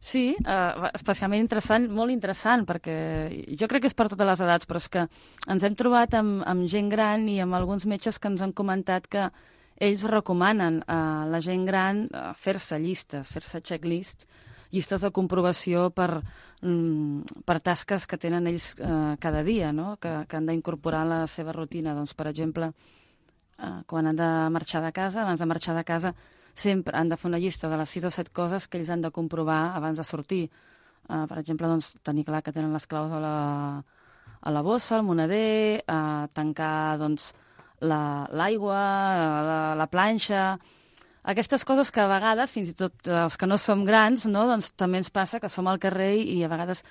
Sí, eh, especialment interessant, molt interessant, perquè jo crec que és per totes les edats, però és que ens hem trobat amb, amb gent gran i amb alguns metges que ens han comentat que ells recomanen a la gent gran eh, fer-se llistes, fer-se checklists, llistes de comprovació per, mm, per tasques que tenen ells eh, cada dia, no? que, que han d'incorporar a la seva rutina. Doncs, per exemple, eh, quan han de marxar de casa, abans de marxar de casa, sempre han de fer una llista de les sis o set coses que ells han de comprovar abans de sortir. Uh, per exemple, doncs, tenir clar que tenen les claus a la, a la bossa, al moneder, uh, tancar doncs, l'aigua, la, la, la planxa... Aquestes coses que a vegades, fins i tot els que no som grans, no, doncs, també ens passa que som al carrer i a vegades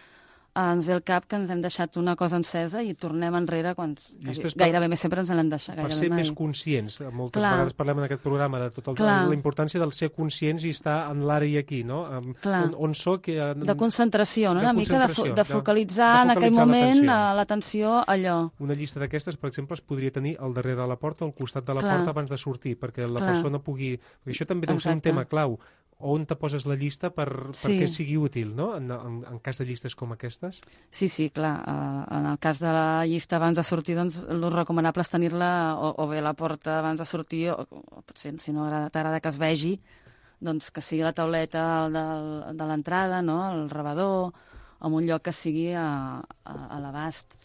ens ve el cap que ens hem deixat una cosa encesa i tornem enrere quan per, gairebé més sempre ens l'hem deixat. Per ser mai. més conscients. Moltes Clar. vegades parlem en aquest programa de tot el, la importància del ser conscients i estar en l'ara i aquí, no? On, on soc... Eh, de concentració, no? De Una mica de, fo de, focalitzar, de, de focalitzar en aquell moment l'atenció allò. Una llista d'aquestes, per exemple, es podria tenir al darrere de la porta o al costat de la Clar. porta abans de sortir, perquè la Clar. persona pugui... Perquè això també deu ser un tema clau. On te poses la llista per, sí. perquè sigui útil, no? En, en, en cas de llistes com aquestes? Sí, sí, clar. Uh, en el cas de la llista abans de sortir, doncs, el recomanable és tenir-la o, o bé a la porta abans de sortir, o, o potser, si no t'agrada que es vegi, doncs que sigui la tauleta de, de l'entrada, no? El rebedor, en un lloc que sigui a, a, a l'abast.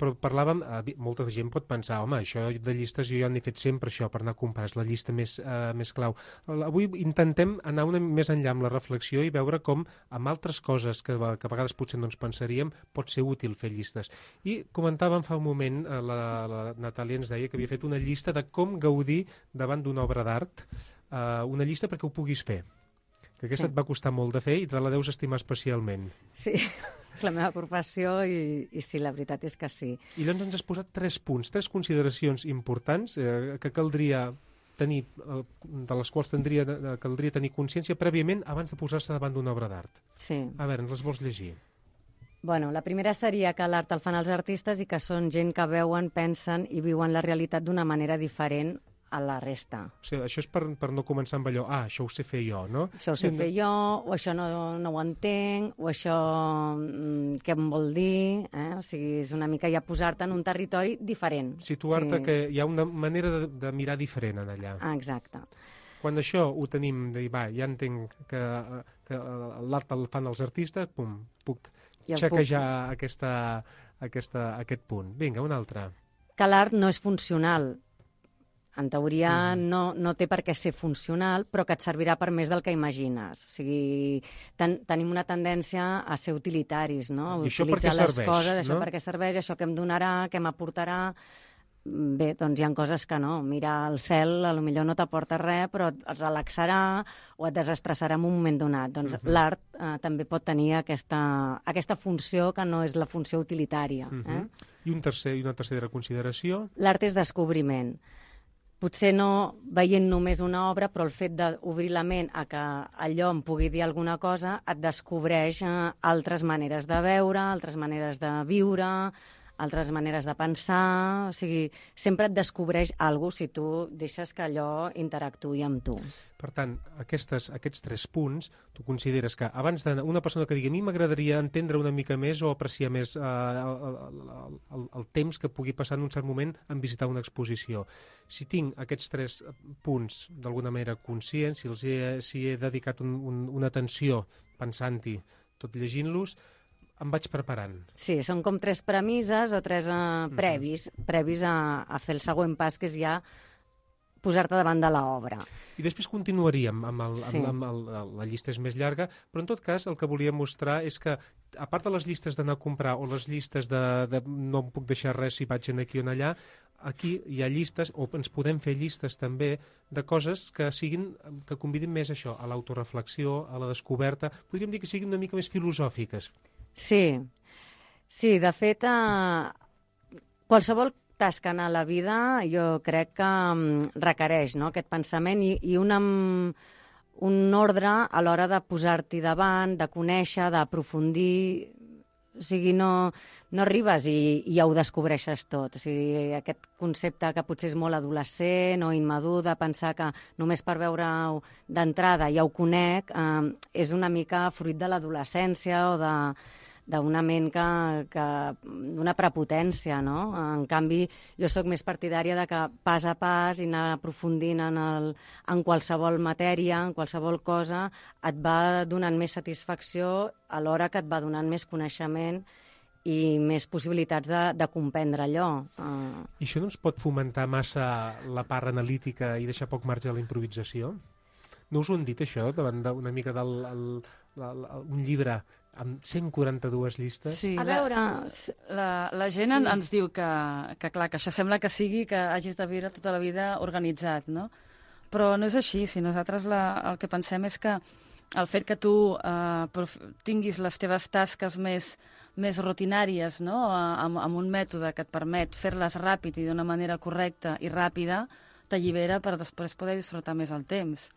Però parlàvem, eh, molta gent pot pensar, home, això de llistes jo ja n'he fet sempre això per anar a comprar, és la llista més, eh, més clau. Avui intentem anar una més enllà amb la reflexió i veure com amb altres coses que, que a vegades potser no ens pensaríem pot ser útil fer llistes. I comentàvem fa un moment, eh, la, la Natàlia ens deia que havia fet una llista de com gaudir davant d'una obra d'art, eh, una llista perquè ho puguis fer. Que aquesta sí. et va costar molt de fer i te la deus estimar especialment. Sí, és la meva professió i, i sí, la veritat és que sí. I llavors ens has posat tres punts, tres consideracions importants eh, que caldria tenir, eh, de les quals tindria, eh, caldria tenir consciència prèviament abans de posar-se davant d'una obra d'art. Sí. A veure, ens les vols llegir? Bueno, la primera seria que l'art el fan els artistes i que són gent que veuen, pensen i viuen la realitat d'una manera diferent a la resta. O sigui, això és per, per no començar amb allò, ah, això ho sé fer jo, no? Això ho sé fer jo, o això no, no ho entenc, o això mm, què em vol dir, eh? O sigui, és una mica ja posar-te en un territori diferent. Situar-te sí. que hi ha una manera de, de mirar diferent en allà. Ah, exacte. Quan això ho tenim, de dir, va, ja entenc que, que l'art el fan els artistes, pum, puc ja xequejar puc... Aquesta, aquesta, aquest punt. Vinga, un altre. Que l'art no és funcional. En teoria mm. no, no té per què ser funcional, però que et servirà per més del que imagines. O sigui, ten, tenim una tendència a ser utilitaris, no? A I això utilitzar per què les serveix, coses, no? això per què serveix, això que em donarà, què m'aportarà... Bé, doncs hi ha coses que no. Mirar el cel, a lo millor no t'aporta res, però et relaxarà o et desestressarà en un moment donat. Doncs uh-huh. l'art eh, també pot tenir aquesta, aquesta funció que no és la funció utilitària. Uh-huh. eh? I, un tercer, I una tercera consideració? L'art és descobriment. Potser no veient només una obra, però el fet d'obrir la ment a que allò em pugui dir alguna cosa et descobreix eh, altres maneres de veure, altres maneres de viure, altres maneres de pensar... O sigui, sempre et descobreix alguna cosa si tu deixes que allò interactuï amb tu. Per tant, aquestes, aquests tres punts, tu consideres que abans d'una persona que digui a mi m'agradaria entendre una mica més o apreciar més eh, el, el, el, el temps que pugui passar en un cert moment en visitar una exposició. Si tinc aquests tres punts d'alguna manera conscients, si els he, si he dedicat un, un, una atenció pensant-hi, tot llegint-los, em vaig preparant. Sí, són com tres premisses o tres uh, previs, mm-hmm. previs a, a fer el següent pas, que és ja posar-te davant de l'obra. I després continuaríem, amb, el, sí. amb, amb el, la llista és més llarga, però en tot cas el que volia mostrar és que, a part de les llistes d'anar a comprar o les llistes de, de no em puc deixar res si vaig en aquí o en allà, aquí hi ha llistes, o ens podem fer llistes també, de coses que siguin, que convidin més això, a l'autoreflexió, a la descoberta, podríem dir que siguin una mica més filosòfiques. Sí, sí, de fet, eh, qualsevol tasca en la vida jo crec que um, requereix, no?, aquest pensament i, i una, un ordre a l'hora de posar-t'hi davant, de conèixer, d'aprofundir. O sigui, no, no arribes i, i ja ho descobreixes tot. O sigui, aquest concepte que potser és molt adolescent o immadur de pensar que només per veure-ho d'entrada ja ho conec, eh, és una mica fruit de l'adolescència o de d'una ment que, que d'una prepotència, no? En canvi, jo sóc més partidària de que pas a pas i anar aprofundint en, el, en qualsevol matèria, en qualsevol cosa, et va donant més satisfacció alhora que et va donant més coneixement i més possibilitats de, de comprendre allò. Uh... I això no ens pot fomentar massa la part analítica i deixar poc marge a la improvisació? No us ho han dit, això, davant d'una mica del el, el, el, un llibre amb cent quaranta-dues llistes? Sí, a veure... La, la, la gent sí. ens diu que, que, clar, que això sembla que sigui que hagis de viure tota la vida organitzat, no? Però no és així. Si nosaltres la, el que pensem és que el fet que tu eh, tinguis les teves tasques més, més rutinàries, no?, amb, amb un mètode que et permet fer-les ràpid i d'una manera correcta i ràpida, t'allibera per després poder disfrutar més el temps.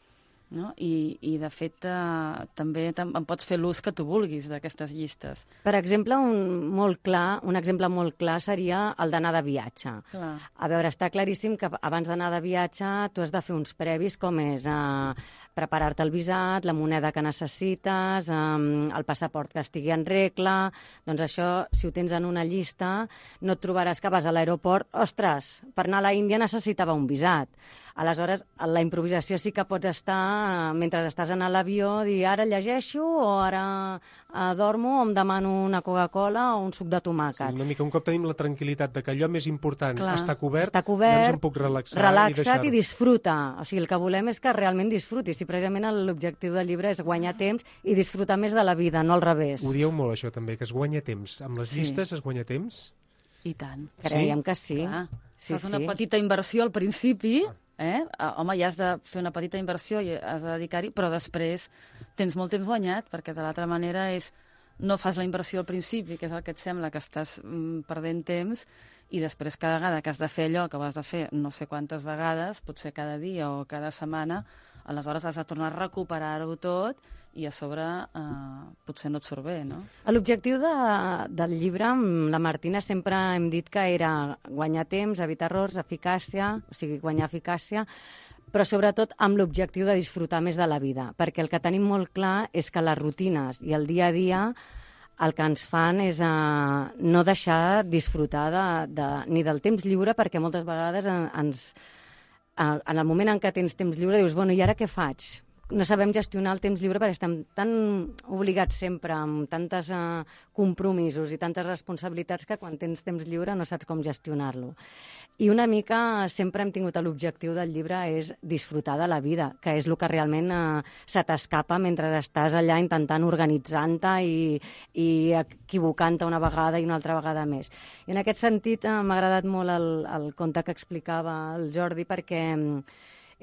No? I, i de fet eh, també en pots fer l'ús que tu vulguis d'aquestes llistes. Per exemple, un, molt clar, un exemple molt clar seria el d'anar de viatge. Clar. A veure, està claríssim que abans d'anar de viatge tu has de fer uns previs com és eh, preparar-te el visat, la moneda que necessites, eh, el passaport que estigui en regla. Doncs això, si ho tens en una llista, no et trobaràs que vas a l'aeroport, ostres, per anar a la Índia necessitava un visat. Aleshores, la improvisació sí que pots estar, mentre estàs en l'avió, dir ara llegeixo o ara eh, dormo o em demano una Coca-Cola o un suc de tomàquet. Sí, una mica, un cop tenim la tranquil·litat de que allò més important Clar, està cobert, està cobert, llavors em puc relaxar relaxa't i deixar-ho. i disfruta. O sigui, el que volem és que realment disfrutis. I precisament l'objectiu del llibre és guanyar temps i disfrutar més de la vida, no al revés. Ho dieu molt, això, també, que es guanya temps. Amb les Sí. llistes es guanya temps? I tant. Creiem que sí. Clar. Sí, Fas una sí. petita inversió al principi, eh? Home, ja has de fer una petita inversió i has de dedicar-hi, però després tens molt temps guanyat, perquè de l'altra manera és no fas la inversió al principi, que és el que et sembla que estàs mm, perdent temps, i després cada vegada que has de fer allò que ho has de fer no sé quantes vegades, potser cada dia o cada setmana, aleshores has de tornar a recuperar-ho tot i a sobre eh, potser no et surt bé, no? L'objectiu de, del llibre amb la Martina sempre hem dit que era guanyar temps, evitar errors, eficàcia, o sigui, guanyar eficàcia, però sobretot amb l'objectiu de disfrutar més de la vida, perquè el que tenim molt clar és que les rutines i el dia a dia el que ens fan és uh, no deixar disfrutar de, de, ni del temps lliure, perquè moltes vegades en, ens, uh, en el moment en què tens temps lliure dius, bueno, i ara què faig? No sabem gestionar el temps lliure perquè estem tan obligats sempre amb tantes uh, compromisos i tantes responsabilitats que quan tens temps lliure no saps com gestionar-lo. I una mica sempre hem tingut l'objectiu del llibre és disfrutar de la vida, que és el que realment uh, se t'escapa mentre estàs allà intentant organitzant-te i, i equivocant-te una vegada i una altra vegada més. I en aquest sentit uh, m'ha agradat molt el, el conte que explicava el Jordi perquè um,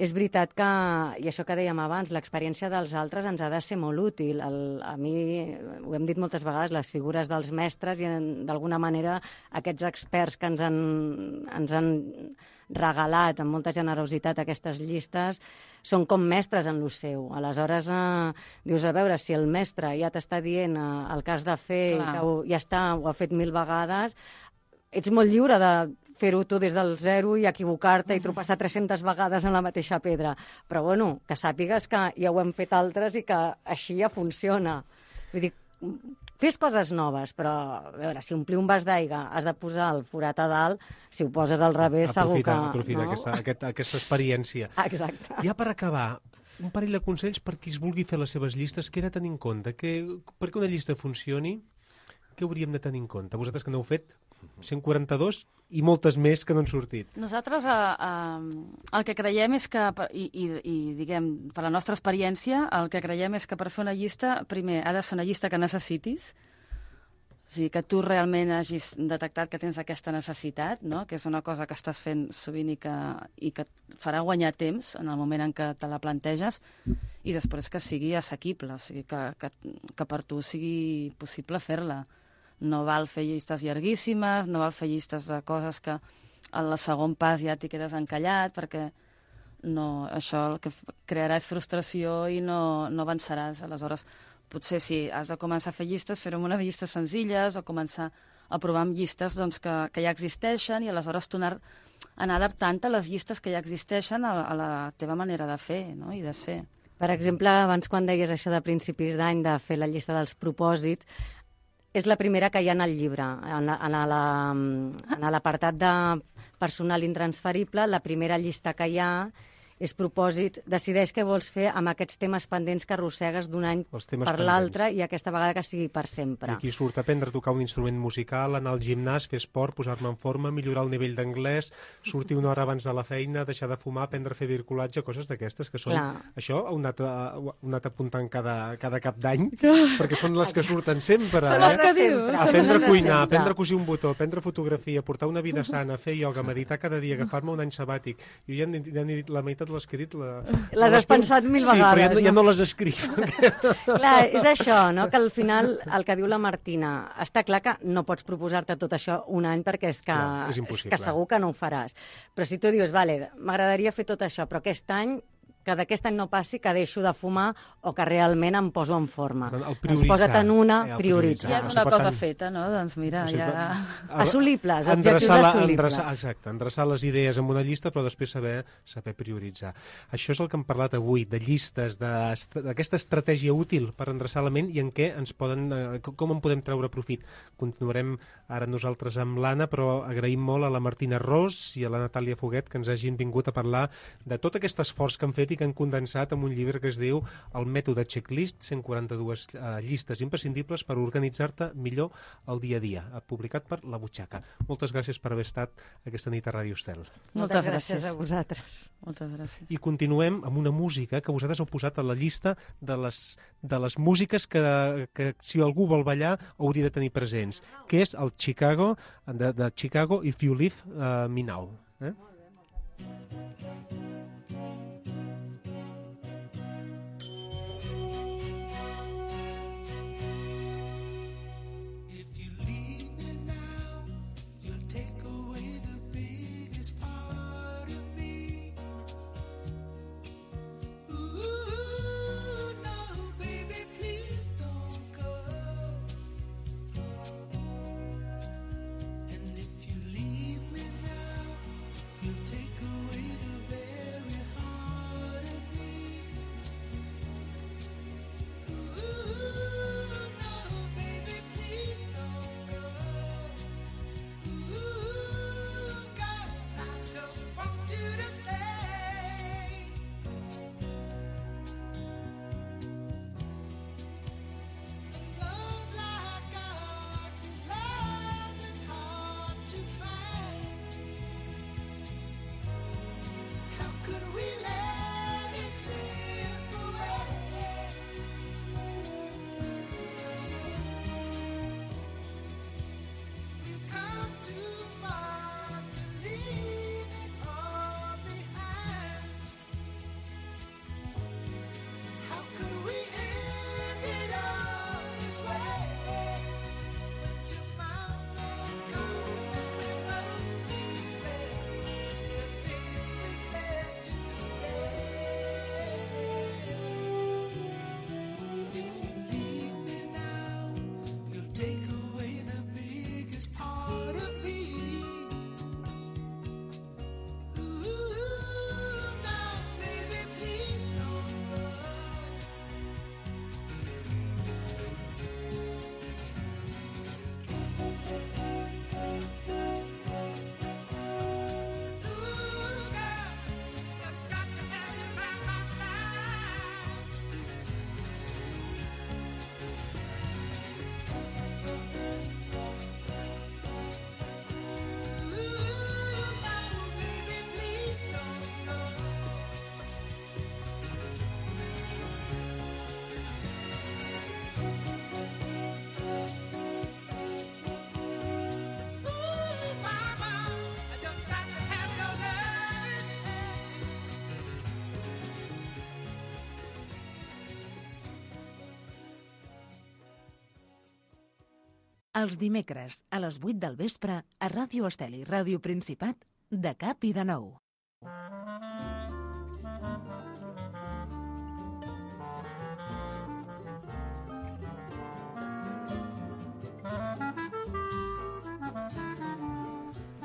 és veritat que, i això que dèiem abans, l'experiència dels altres ens ha de ser molt útil. El, a mi, ho hem dit moltes vegades, les figures dels mestres i d'alguna manera aquests experts que ens han, ens han regalat amb molta generositat aquestes llistes són com mestres en lo seu. Aleshores, eh, dius, a veure, si el mestre ja t'està dient eh, el que has de fer Clar. i que ho, ja està, ho ha fet mil vegades, ets molt lliure de fer-ho tu des del zero i equivocar-te i tropeçar tres-centes vegades en la mateixa pedra. Però, bueno, que sàpigues que ja ho hem fet altres i que així ja funciona. Vull dir, fes coses noves, però, a veure, si omplir un vas d'aigua has de posar el forat a dalt, si ho poses al revés, aprofita, segur que... Aprofita no? aquesta, aquesta, aquesta experiència. Exacte. Ja per acabar, un parell de consells per qui es vulgui fer les seves llistes, què he de tenir en compte? Que, perquè una llista funcioni, què hauríem de tenir en compte? Vosaltres que n'heu fet cent quaranta-dos i moltes més que no han sortit. Nosaltres eh, eh, el que creiem és que, i, i, i diguem, per la nostra experiència, el que creiem és que per fer una llista, primer, ha de ser una llista que necessitis. O sigui, que tu realment hagis detectat que tens aquesta necessitat, no? Que és una cosa que estàs fent sovint i que, i que et farà guanyar temps en el moment en què te la planteges, i després que sigui assequible, o sigui, que, que, que per tu sigui possible fer-la. No val fer llistes llarguíssimes, no val fer llistes de coses que al segon pas ja t'hi quedes encallat, perquè no, això el que crearà és frustració i no, no avançaràs. Aleshores, potser si has de començar a fer llistes, fer-ho amb unes llistes senzilles o començar a provar amb llistes doncs, que, que ja existeixen, i aleshores tu anar, anar adaptant a les llistes que ja existeixen a, a la teva manera de fer, no? I de ser. Per exemple, abans quan deies això de principis d'any, de fer la llista dels propòsits, és la primera que hi ha en el llibre. En, en la, en l'apartat de personal intransferible, la primera llista que hi ha és propòsit, decideix què vols fer amb aquests temes pendents que arrossegues d'un any per l'altre, i aquesta vegada que sigui per sempre. I aquí surt aprendre a tocar un instrument musical, anar al gimnàs, fer esport, posar-me en forma, millorar el nivell d'anglès, sortir una hora abans de la feina, deixar de fumar, aprendre a fer virculatge, coses d'aquestes que són... Clar. Això ho heu anat, ho heu anat apuntant cada, cada cap d'any, perquè són les que surten sempre. Són les que dius. Aprendre a cuinar, aprendre a cosir un botó, aprendre fotografia, portar una vida sana, fer ioga, meditar cada dia, agafar-me un any sabàtic. Jo ja n'he dit la meitat les que he dit... La... Les has pensat mil sí, vegades. Sí, però ja, ja no les escric. Clar, és això, no? Que al final, el que diu la Martina, està clar que no pots proposar-te tot això un any perquè és que, clar, és és que segur que no ho faràs. Però si tu dius, vale, m'agradaria fer tot això, però aquest any que d'aquest any no passi que deixo de fumar o que realment em poso en forma. Doncs posa't en una, eh, prioritza. Ja és una cosa feta, no? Doncs mira, o sigui, ja... Assolibles, objectius la, assolibles. Endreçar, exacte, endreçar les idees en una llista, però després saber saber prioritzar. Això és el que hem parlat avui, de llistes, d'aquesta estratègia útil per endreçar la ment i en què ens poden, com en podem treure profit. Continuarem ara nosaltres amb l'Anna, però agraïm molt a la Martina Ros i a la Natàlia Foguet que ens hagin vingut a parlar de tot aquest esforç que han fet i que han condensat en un llibre que es diu El mètode checklist, cent quaranta-dues uh, llistes imprescindibles per organitzar-te millor el dia a dia, publicat per La Butxaca. Moltes gràcies per haver estat aquesta nit a Ràdio Estel. Moltes gràcies a vosaltres. Moltes gràcies. I continuem amb una música que vosaltres heu posat a la llista de les, de les músiques que, que si algú vol ballar hauria de tenir presents, que és el Chicago, de, de Chicago, If You Leave uh, Me Now. Eh? Take away the Els dimecres, a les vuit del vespre, a Ràdio Estel i Ràdio Principat, de cap i de nou.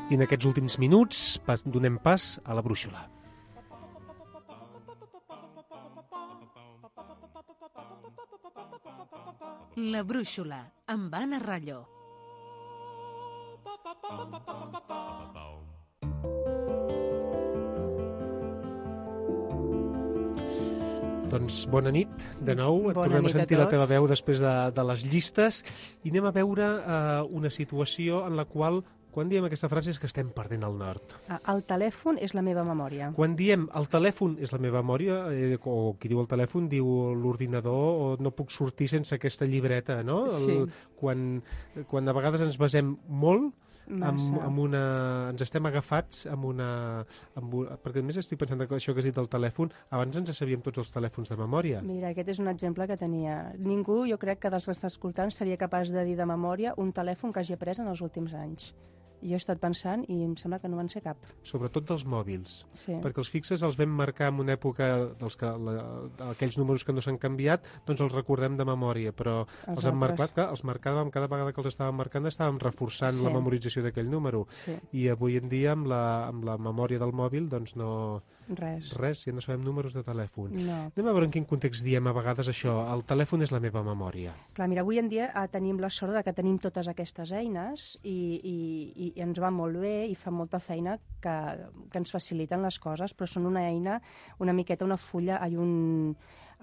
I en aquests últims minuts pas, donem pas a la brúixola. La brúixola, amb Anna Ralló. Doncs bona nit, de nou. Bona Tornem a nit a sentir la teva tots. veu després de, de les llistes i anem a veure eh, una situació en la qual, quan diem aquesta frase, és que estem perdent el nord. Ah, el telèfon és la meva memòria. Quan diem el telèfon és la meva memòria, eh, o qui diu el telèfon diu l'ordinador, o no puc sortir sense aquesta llibreta, no? El, Sí. quan, quan a vegades ens basem molt amb, Massa. amb una... ens estem agafats amb una... Amb un, perquè a més estic pensant que això que has dit del telèfon, abans ens sabíem tots els telèfons de memòria. Mira, aquest és un exemple que tenia. Ningú, jo crec que dels que està escoltant, seria capaç de dir de memòria un telèfon que hagi après en els últims anys. Jo he estat pensant i em sembla que no en sé cap. Sobretot dels mòbils, Sí. perquè els fixes els vam marcar en una època dels que, la, aquells números que no s'han canviat, doncs els recordem de memòria, però els, Els hem altres. marcat, que els marcàvem, cada vegada que els estàvem marcant estàvem reforçant Sí. la memorització d'aquell número, Sí. i avui en dia amb la, amb la memòria del mòbil doncs no... Res. Res, ja no sabem números de telèfon. No. Anem a veure en quin context diem a vegades això, el telèfon és la meva memòria. Clar, mira, avui en dia eh, tenim la sort de que tenim totes aquestes eines i, i, i ens va molt bé i fa molta feina que, que ens faciliten les coses, però són una eina, una miqueta, una fulla, ai, un...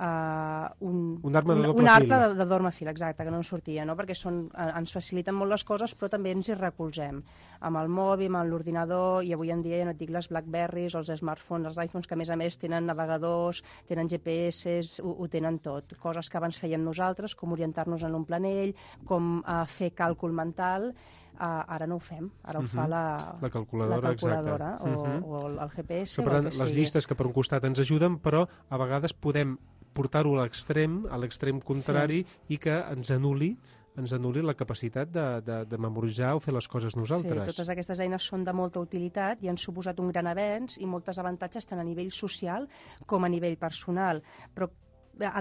Uh, un, Un arma de un, doble un arc fil. de, de doble fil, exacte, que no en sortia, no? Perquè són, eh, ens faciliten molt les coses, però també ens hi recolzem amb el mòbil, amb l'ordinador, i avui en dia ja no et dic les Blackberries, els smartphones, els iPhones, que a més a més tenen navegadors, tenen G P S, ho, ho tenen tot. Coses que abans fèiem nosaltres, com orientar-nos en un planell, com uh, fer càlcul mental. Uh, ara no ho fem, ara ho fa Mhm. la, La calculadora, la calculadora exacte. o, Mhm. o el, el G P S. Que, per o tant, el que les sigui. llistes que per un costat ens ajuden, però a vegades podem portar-ho a l'extrem, a l'extrem contrari, i que ens anul·li ens anul·li la capacitat de, de, de memoritzar o fer les coses nosaltres. Sí, totes aquestes eines són de molta utilitat i han suposat un gran avenç i moltes avantatges tant a nivell social com a nivell personal. Però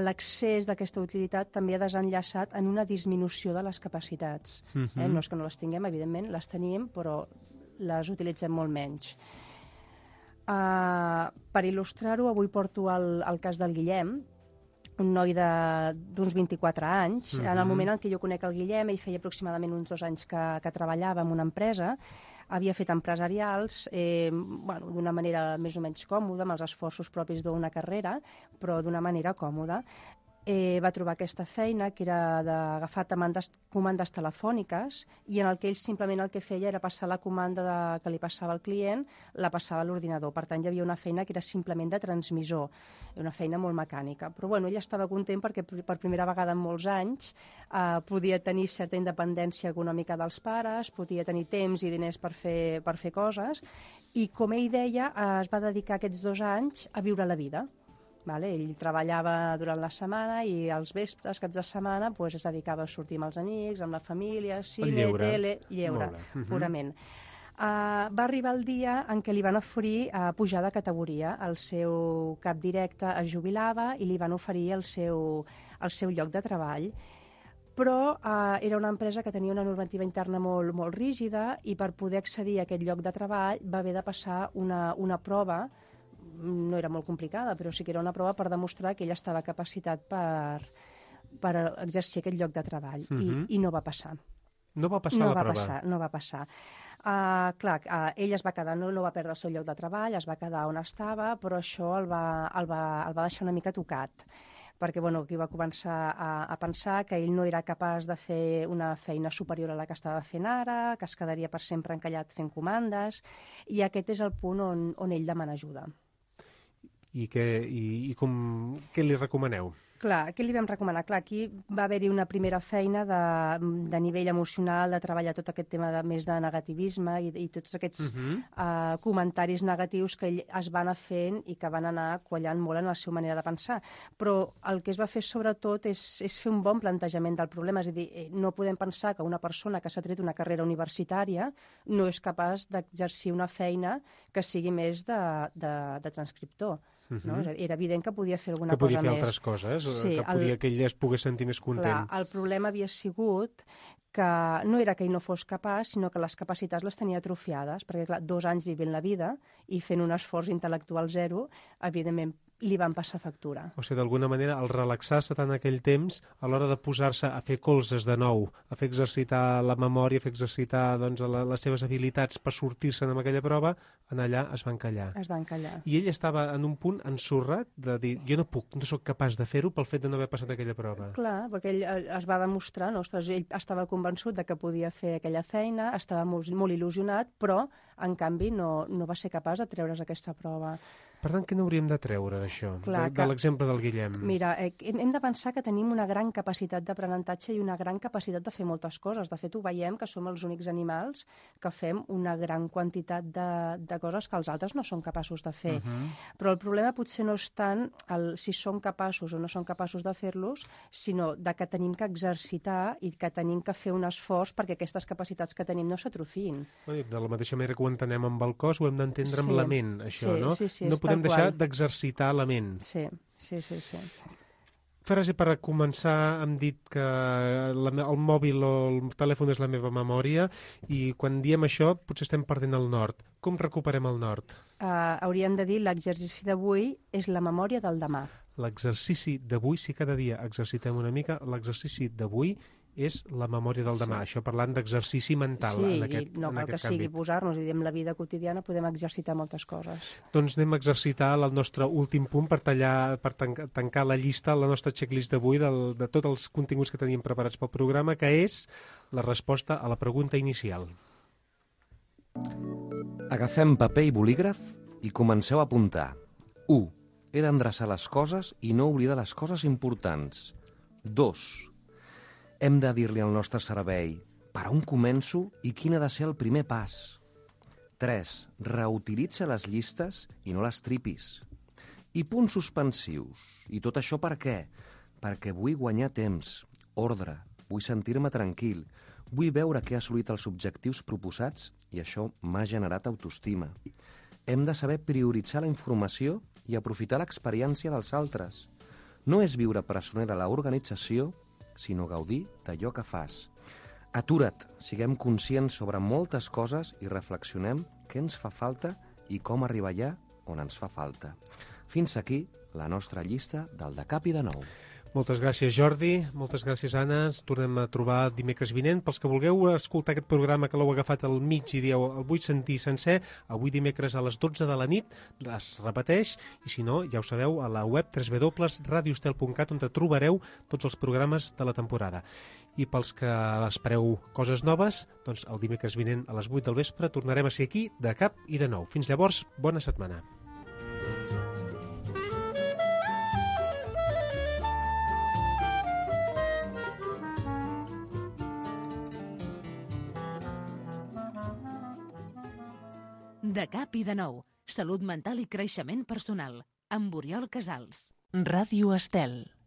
l'accés d'aquesta utilitat també ha desenllaçat en una disminució de les capacitats. Mhm. eh? No és que no les tinguem, evidentment, les tenim, però les utilitzem molt menys. Uh, per il·lustrar-ho, avui porto el, el cas del Guillem, un noi d'uns vint-i-quatre anys. Mhm. En el moment en què jo conec el Guillem, ell feia aproximadament uns dos anys que, que treballava en una empresa, havia fet empresarials eh, bueno, d'una manera més o menys còmoda, amb els esforços propis d'una carrera, però d'una manera còmoda. Eh, va trobar aquesta feina, que era d'agafar comandes, comandes telefòniques, i en el que ell simplement el que feia era passar la comanda de, que li passava al client, la passava a l'ordinador. Per tant, hi havia una feina que era simplement de transmissor, una feina molt mecànica. Però bueno, ell estava content perquè per primera vegada en molts anys eh, podia tenir certa independència econòmica dels pares, podia tenir temps i diners per fer, per fer coses, i com ell deia, eh, es va dedicar aquests dos anys a viure la vida. Vale? Ell treballava durant la setmana i als vespres, caps de setmana, pues, es dedicava a sortir amb els amics, amb la família, cine, lleure. tele, lleure, Molt bé. Mhm. purament. Uh, va arribar el dia en què li van oferir uh, pujar de categoria. El seu cap directe es jubilava i li van oferir el seu, el seu lloc de treball. Però uh, era una empresa que tenia una normativa interna molt, molt rígida i per poder accedir a aquest lloc de treball va haver de passar una, una prova, no era molt complicada, però sí que era una prova per demostrar que ell estava capacitat per, per exercir aquest lloc de treball. Mhm. I, I no va passar. No va passar no la va prova. Passar, no va passar. Uh, clar, uh, ell es va quedar, no, no va perdre el seu lloc de treball, es va quedar on estava, però això el va, el va, el va deixar una mica tocat, perquè bueno, aquí va començar a, a pensar que ell no era capaç de fer una feina superior a la que estava fent ara, que es quedaria per sempre encallat fent comandes, i aquest és el punt on, on ell demana ajuda. I, que, i, i com, què li recomaneu? Clar, què li vam recomanar? Clar, aquí va haver-hi una primera feina de, de nivell emocional, de treballar tot aquest tema de més de negativisme i, i tots aquests uh-huh. uh, comentaris negatius que ell es van anar fent i que van anar quallant molt en la seva manera de pensar. Però el que es va fer sobretot és, és fer un bon plantejament del problema. És a dir, no podem pensar que una persona que s'ha tret una carrera universitària no és capaç d'exercir una feina que sigui més de, de, de transcriptor. Uh-huh. No? Era evident que podia fer alguna cosa més. Que podia fer més. altres coses, sí, que podia el... que ell es pogués sentir més content. Clar, el problema havia sigut que no era que ell no fos capaç, sinó que les capacitats les tenia atrofiades, perquè clar, dos anys vivint la vida i fent un esforç intel·lectual zero, evidentment li van passar factura. O sigui, d'alguna manera, el relaxar-se tant aquell temps, a l'hora de posar-se a fer colzes de nou, a fer exercitar la memòria, a fer exercitar doncs, la, les seves habilitats per sortir-se'n amb aquella prova, en allà es va encallar. Es va encallar. I ell estava en un punt ensorrat de dir, jo no puc, no sóc capaç de fer-ho pel fet de no haver passat aquella prova. Clar, perquè ell es va demostrar, no? Ostres, ell estava convençut de que podia fer aquella feina, estava molt, molt il·lusionat, però, en canvi, no, no va ser capaç de treure's aquesta prova. Per tant, què n'hauríem de treure d'això, de, de l'exemple del Guillem? Mira, eh, hem de pensar que tenim una gran capacitat d'aprenentatge i una gran capacitat de fer moltes coses. De fet, ho veiem que som els únics animals que fem una gran quantitat de, de coses que els altres no són capaços de fer. Uh-huh. Però el problema potser no és tant el, si som capaços o no som capaços de fer-los, sinó de que tenim que exercitar i que tenim que fer un esforç perquè aquestes capacitats que tenim no s'atrofiïn. De la mateixa manera que ho entenem amb el cos, ho hem d'entendre sí. amb la ment, això, sí, no? Sí, sí, no podem deixar d'exercitar la ment. Sí, sí, sí, sí. Frase per començar, hem dit que la, el mòbil o el telèfon és la meva memòria i quan diem això potser estem perdent el nord. Com recuperem el nord? Uh, hauríem de dir l'exercici d'avui és la memòria del demà. L'exercici d'avui, si cada dia exercitem una mica, l'exercici d'avui és la memòria del demà. Sí. Això parlant d'exercici mental. Sí, en aquest, i no en cal que àmbit. sigui posar-nos, i en la vida quotidiana podem exercitar moltes coses. Doncs anem a exercitar el nostre últim punt per tallar, per tancar, tancar la llista, la nostra checklist d'avui del, de tots els continguts que teníem preparats pel programa, que és la resposta a la pregunta inicial. Agafem paper i bolígraf i comenceu a apuntar. u. He d'endreçar les coses i no oblidar les coses importants. dos. Hem de dir-li al nostre cervell per on començo i quin ha de ser el primer pas. tres. Reutilitza les llistes i no les tripis. I punts suspensius. I tot això per què? Perquè vull guanyar temps, ordre, vull sentir-me tranquil, vull veure que he assolit els objectius proposats i això m'ha generat autoestima. Hem de saber prioritzar la informació i aprofitar l'experiència dels altres. No és viure presoner de l'organització, sinó gaudir d'allò que fas. Atura't, siguem conscients sobre moltes coses i reflexionem què ens fa falta i com arribar allà on ens fa falta. Fins aquí la nostra llista del De Cap i de Nou. Moltes gràcies, Jordi. Moltes gràcies, Anna. Ens tornem a trobar dimecres vinent. Pels que vulgueu escoltar aquest programa que l'heu agafat al mig i dieu el vull sentir sencer, avui dimecres a les dotze de la nit es repeteix i si no, ja ho sabeu, a la web w w w punt radio estel punt cat on trobareu tots els programes de la temporada. I pels que espereu coses noves, doncs el dimecres vinent a les vuit del vespre tornarem a ser aquí de cap i de nou. Fins llavors, bona setmana. De cap i de nou. Salut mental i creixement personal. Amb Oriol Casals. Ràdio Estel.